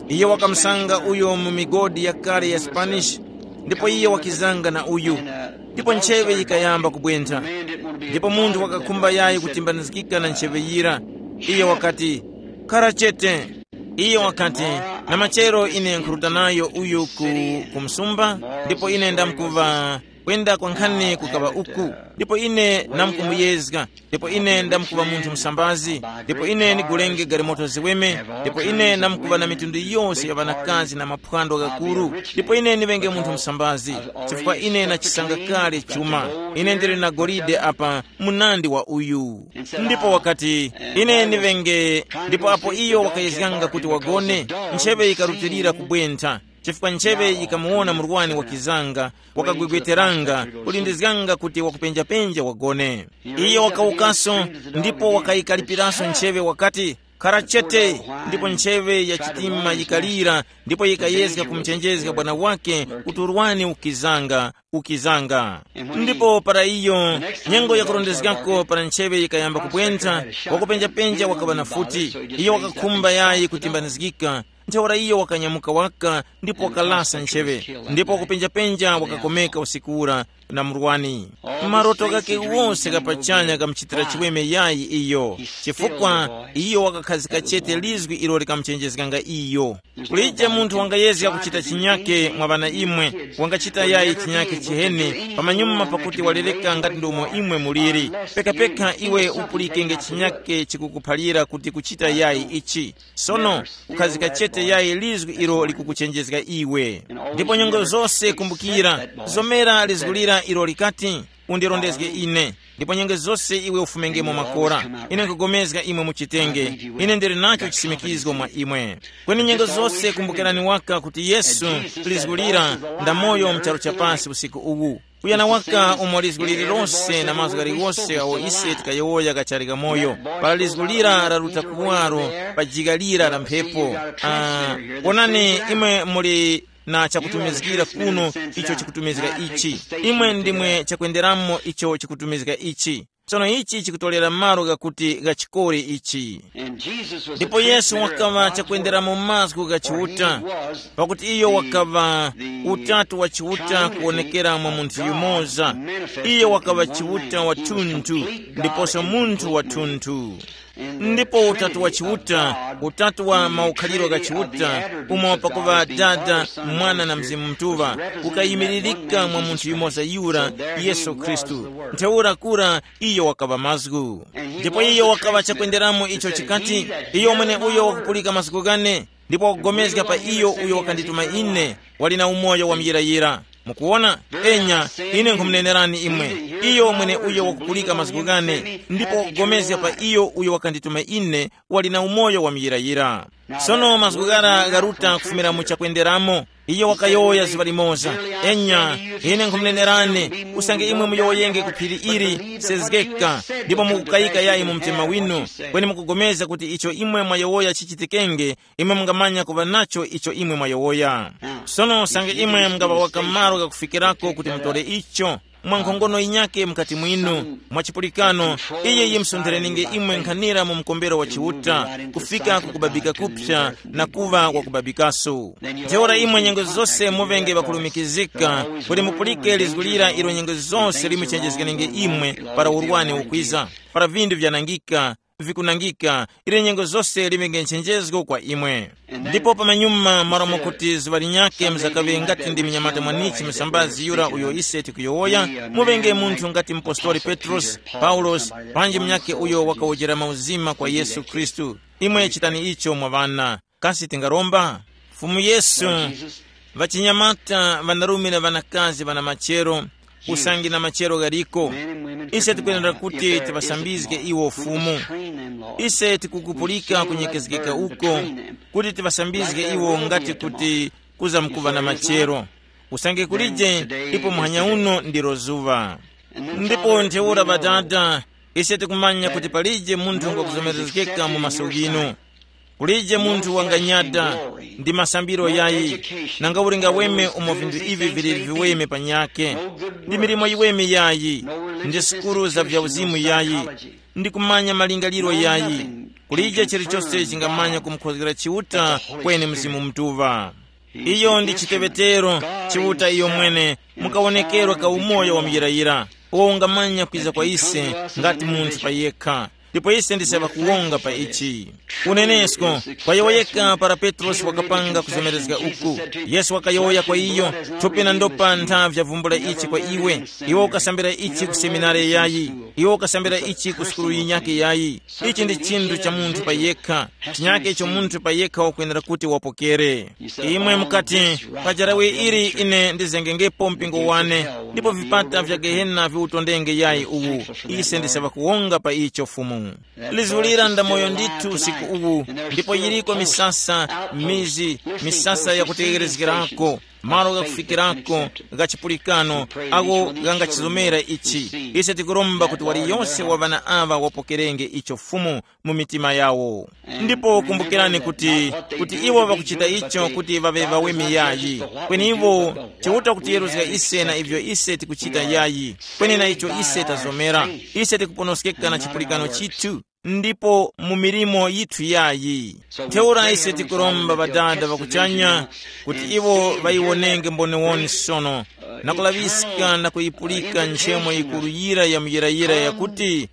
Iye wakamusanga uyo mu migodi yakale ya Spanish, ndipo iye wakizanga na uyu, ndipo ncheŵe yikayamba kubwentha. Ndipo munthu wakakhumba yayi kutimbanizgika na ncheŵe yira. Iye wakati, "Khara chete." Iye wakati, "Na machero ine nkhuruta nayo uyu ku, ku msumba, ndipo ine ndamkuva kwenda kwankhani kukaŵa uku, ndipo ine ndamkumuyezga, ndipo ine ndamkuŵa munthu msambazi, ndipo ine ndigulenge galimoto ziweme, ndipo ine ndamkuŵa na mitundu yose ya ŵanakazi na maphwando ghakuru, ndipo ine ndiŵenge munthu msambazi, chifukwa ine nachisanga kale chuma. Ine ndili na golide apa munandi wa uyu." Ndipo wakati, "Ine ndiŵenge," ndipo apo iyo wakayezganga kuti wagone, ncheŵe yikarutilira kubwentha, chifukwa ncheŵe yikamuwona murwani wakizanga, wakagwegweteranga, kulindizganga kuti wakupenjapenja wagone. Iyo wakawukaso, ndipo wakayikalipiranso ncheŵe wakati, "Khara chete," ndipo ncheŵe ya chitima yikalira, ndipo yikayezga kumuchenjezga bwana wake kuti urwani ukizanga, ukizanga. Ndipo para iyo, nyengo yakurondezgako para ncheŵe yikayamba kubwentha, wakupenjapenja wakaŵa na futi. Iyo wakakhumba yayi kutimbanizgika, ntheura iyo wakanyamuka waka ndipo wakalasa ncheŵe, ndipo wakupenjapenja wakakomeka usiku ura na murwani. Maroto ghake wose ghapachanya ghamuchitira chiweme yayi iyo, chifukwa iyo wakakhazika chete lizwi ilo likamuchenjezganga iyo. Kulije munthu wangayezga kuchita chinyake mwa ŵana imwe, wangachita yayi chinyake chiheni pamanyuma pakuti walereka ngati ndomo imwe muliri. Pekapeka iwe upulikenge chinyake chikukuphalira kuti kuchita yayi ichi. Sono, ukhazika chete yayi lizgu ilo likukuchenjezga iwe. Ndipo nyengo zose kumbukira, zomera lizgu lira ilo likati, "Undirondezge ine." Ndipo nyengo zose iwe ufumengemo makora. Ine nkugomezga imwe muchitenge. Ine ndili nacho chisimikizgo mwa imwe. Kweni nyengo zose kumbukirani waka kuti Yesu, lizgu lira, ndamoyo mcharu cha pasi usiku uwu. Kuyana waka umo lizgu lililose na mazgu ghaliwose awo ise tikayowoya ghachali ghamoyo, para lizgu lira laruta kuwaro pa jika lira la mphepo. Ah, wonani, imwe muli na chakutumizgira kuno, icho chikutumizga ichi. Imwe ndimwe chakwenderamo icho chikutumizga ichi. Tsono ichi chikutorera malo ghakuti ghachikore ichi. Ndipo Yesu wakaŵa chakwenderamo mazgu gha Chiuta, pakuti iyo wakaŵa utatu wa Chiuta kuwonekera mwa munthu yumoza. Iyo wakaŵa Chiuta wathunthu, ndiposo munthu wathunthu. Ndipo utatu wa Chiuta, utatu wa maukhaliro gha Chiuta, umo pakuŵa Dada, Mwana na Mzimu Mutuŵa, ukayimiririka mwa munthu yumoza yura, Yesu Khristu. Ntheura kura iyo wakaŵa mazgu. Ndipo iyo wakaŵa chakwenderamo icho chikati, iyo mwene uyo wakupulika mazgu ghane, ndipo wakugomezga pa iyo uyo wakandituma ine, wali na umoyo wa muyirayira. Mukuwona? Enya, ine nkhumunenerani imwe, iyo mwene uyo wakupulika mazgu ghane, ndipo wakugomezga pa iyo uyo wakandituma ine, wali na umoyo wa muyirayira. Sono mazgu ghara gharuta kufumira mu chakwenderamo. Iyo wakayowoya zuŵa limoza, enya, ine nkhumunenerani, usange imwe muyowoyenge ku phiri ili, sezgeka, ndipo mukukayika yayi mu mtima winu, kweni mukugomeza kuti icho imwe mwayowoya chichitikenge, imwe mungamanya kuŵa nacho icho imwe mwayowoya. Sono usange imwe mungaŵa waka malo ghakufikirako kuti mutore icho, mwa nkhongono yinyake mukati mwinu, mwa chipulikano, iye yimsontherenge imwe nkhanira mu mkombero wa Chiuta, kufika ku kubabika kupsa na kuŵa wakubabikaso. Ntheura imwe nyengo zose muvenge ŵakulumikizika, kuti mupulike lizgu lira ilo nyengo zose limuchenjezganenge imwe para urwani ukwiza, para vindu vyanangika, vikunangika, ili nyengo zose liŵenge nchenjezgo kwa imwe. Ndipo pamanyuma, malo mwakuti zuŵa linyakhe mzakaŵe ngati ndi mnyamata mwanichi msambazi yura uyo ise tikuyowoya, muŵenge munthu ngati mupostoli Petrosi, Paulosi, panji munyakhe uyo wakawojera mauzima kwa Yesu Khristu. Imwe chitani icho mwa ŵana. Kasi tingaromba? Fumu Yesu, ŵachinyamata, ŵanarume na ŵanakazi ŵana machero, usange na machero ghaliko, ise tikwenera kuti tiŵasambizge iwo Fumu. Ise tikukupulika kunyekezgeka uko, kuti tiŵasambizge iwo ngati kuti kuzamkuŵa na machero. Usange kulije, ipo muhanya uno ndilo zuŵa. Ndipo ntheura Ŵadada, ise tikumanya kuti palije munthu ngwakuzomerezgeka mu maso ghinu. Kulije munthu wanganyada ndi masambiro yayi, nanga uli ngaweme umo vinthu ivi vili viweme panyakhe, ndi milimo yiweme yayi, ndi sukulu za vyauzimu yayi, ndi kumanya malingaliro yayi. Kulije chilichose chingamanya kumukhozgera Chiuta kweni Mzimu Mutuŵa. Iyo ndi chiteŵetero, Chiuta iyo mwene, mukawonekerwa ka umoyo wa muyirayira, uwo ungamanya kwiza kwa ise ngati munthu pa yekha. Ndipo ise ndise ŵakuwonga pa ichi. Unenesko, kwa yowoyeka para Petrosi wakapanga kuzemerezga uku, Yesu wakayowoya kwa iyo, thupi na ndopa ntha vyavumbula ichi kwa iwe. Iwe ukasambira ichi ku seminari yayi, iwe ukasambira ichi ku sukulu yinyakhe yayi. Ichi ndi chinthu cha munthu pa yekha, chinyakhe icho munthu pa yekha wakwenera kuti wapokere. Imwe mukati, pajarawe ili ine ndizengengepo mpingo wane, ndipo vipata vya gehena viwutondenge yayi uwu. Ise ndise ŵakuwonga pa icho Fumu. Lizulira ndamoyo ndithu usiku uwu, ndipo yiriko misasa, mizi, misasa yakutegherezgerako, malo ghakufikirako gha chipulikano, agho ghangachizomera ichi. Ise tikuromba kuti waliyonse wa ŵana aŵa wapokerenge icho Fumu mu mitima yawo. Ndipo kumbukirani kuti, kuti iwo ŵakuchita icho kuti ŵaŵe ŵaweme yayi, kweni iwo Chiuta kutiyeruzga ise na ivyo ise tikuchita yayi, kweni na icho ise tazomera. Ise tikuponoskeka na chipulikano chithu, ndipo mu milimo yithu yayi. Ntheura ise tikuromba Ŵadada ŵa kuchanya kuti iwo ŵayiwonenge mboniwoni sono, na kulaŵiska na kuyipulika nchemo yikuru yira ya muyirayira yakuti,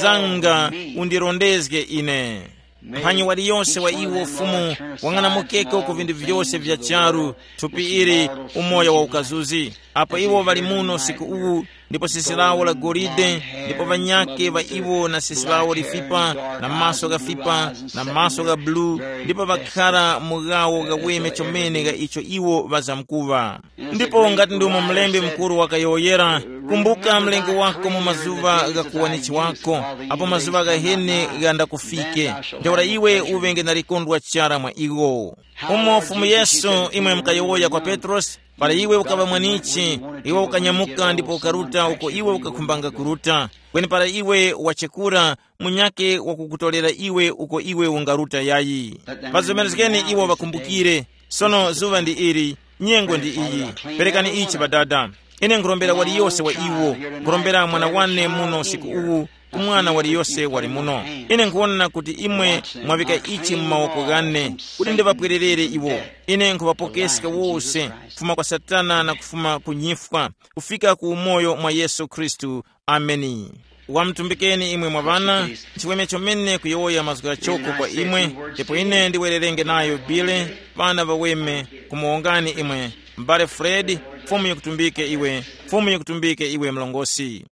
zanga, undirondezge ine. Mphanyi waliyose wa iwo Fumu, wang'anamukeko ku vinthu vyose vya charu, thupi ili, umoyo wa ukazuzi. Apo iwo ŵali muno usiku uwu, ndipo sisi lawo la golide, ndipo ŵanyakhe ŵa iwo na sisi lawo lifipa, na maso ghafipa, na maso gha bulu, ndipo ŵakhara mu ghawo ghaweme chomene gha icho iwo ŵazamkuŵa. Ndipo ngati ndumo mlembi mukuru wakayowoyera, kumbuka mlengi wako mu mazuŵa gha kuwanichi wako, apo mazuŵa ghahene ghandakufike, ntheura iwe uŵenge na likondwa chara mwa iwo. Umo Fumu Yesu imwe mukayowoya kwa Petrosi, para iwe ukaŵa mwanichi, iwe ukanyamuka ndipo ukaruta uko iwe ukakhumbanga kuruta, kweni para iwe wachekura, munyakhe wakukutorera iwe uko iwe ungaruta yayi. Ŵazomerezgeni iwo ŵakumbukire. Sono zuŵa ndi ili, nyengo ndi iyi. Perekani ichi Ŵadada. Ine nkhurombera waliyose wa iwo, nkhurombera mwana wane muno usiku uwu, ku mwana waliyose wali muno. Ine nkhuwona kuti imwe mwaŵika ichi mu mawoko ghane, kuti ndiŵapwererere iwo. Ine nkhuŵapokeska wose, kufuma kwa Satana na kufuma ku nyifwa, kufika ku umoyo mwa Yesu Khristu. Ameni. Wamutumbikeni imwe mwa ŵana, nchiweme chomene kuyowoya mazgu ghachoko kwa imwe, ndipo ine ndiwererenge nayo Bile, ŵana ŵaweme, kumuwongani imwe, m'bale Fred, Fumu yikutumbike iwe, Fumu yikutumbike iwe mlongosi.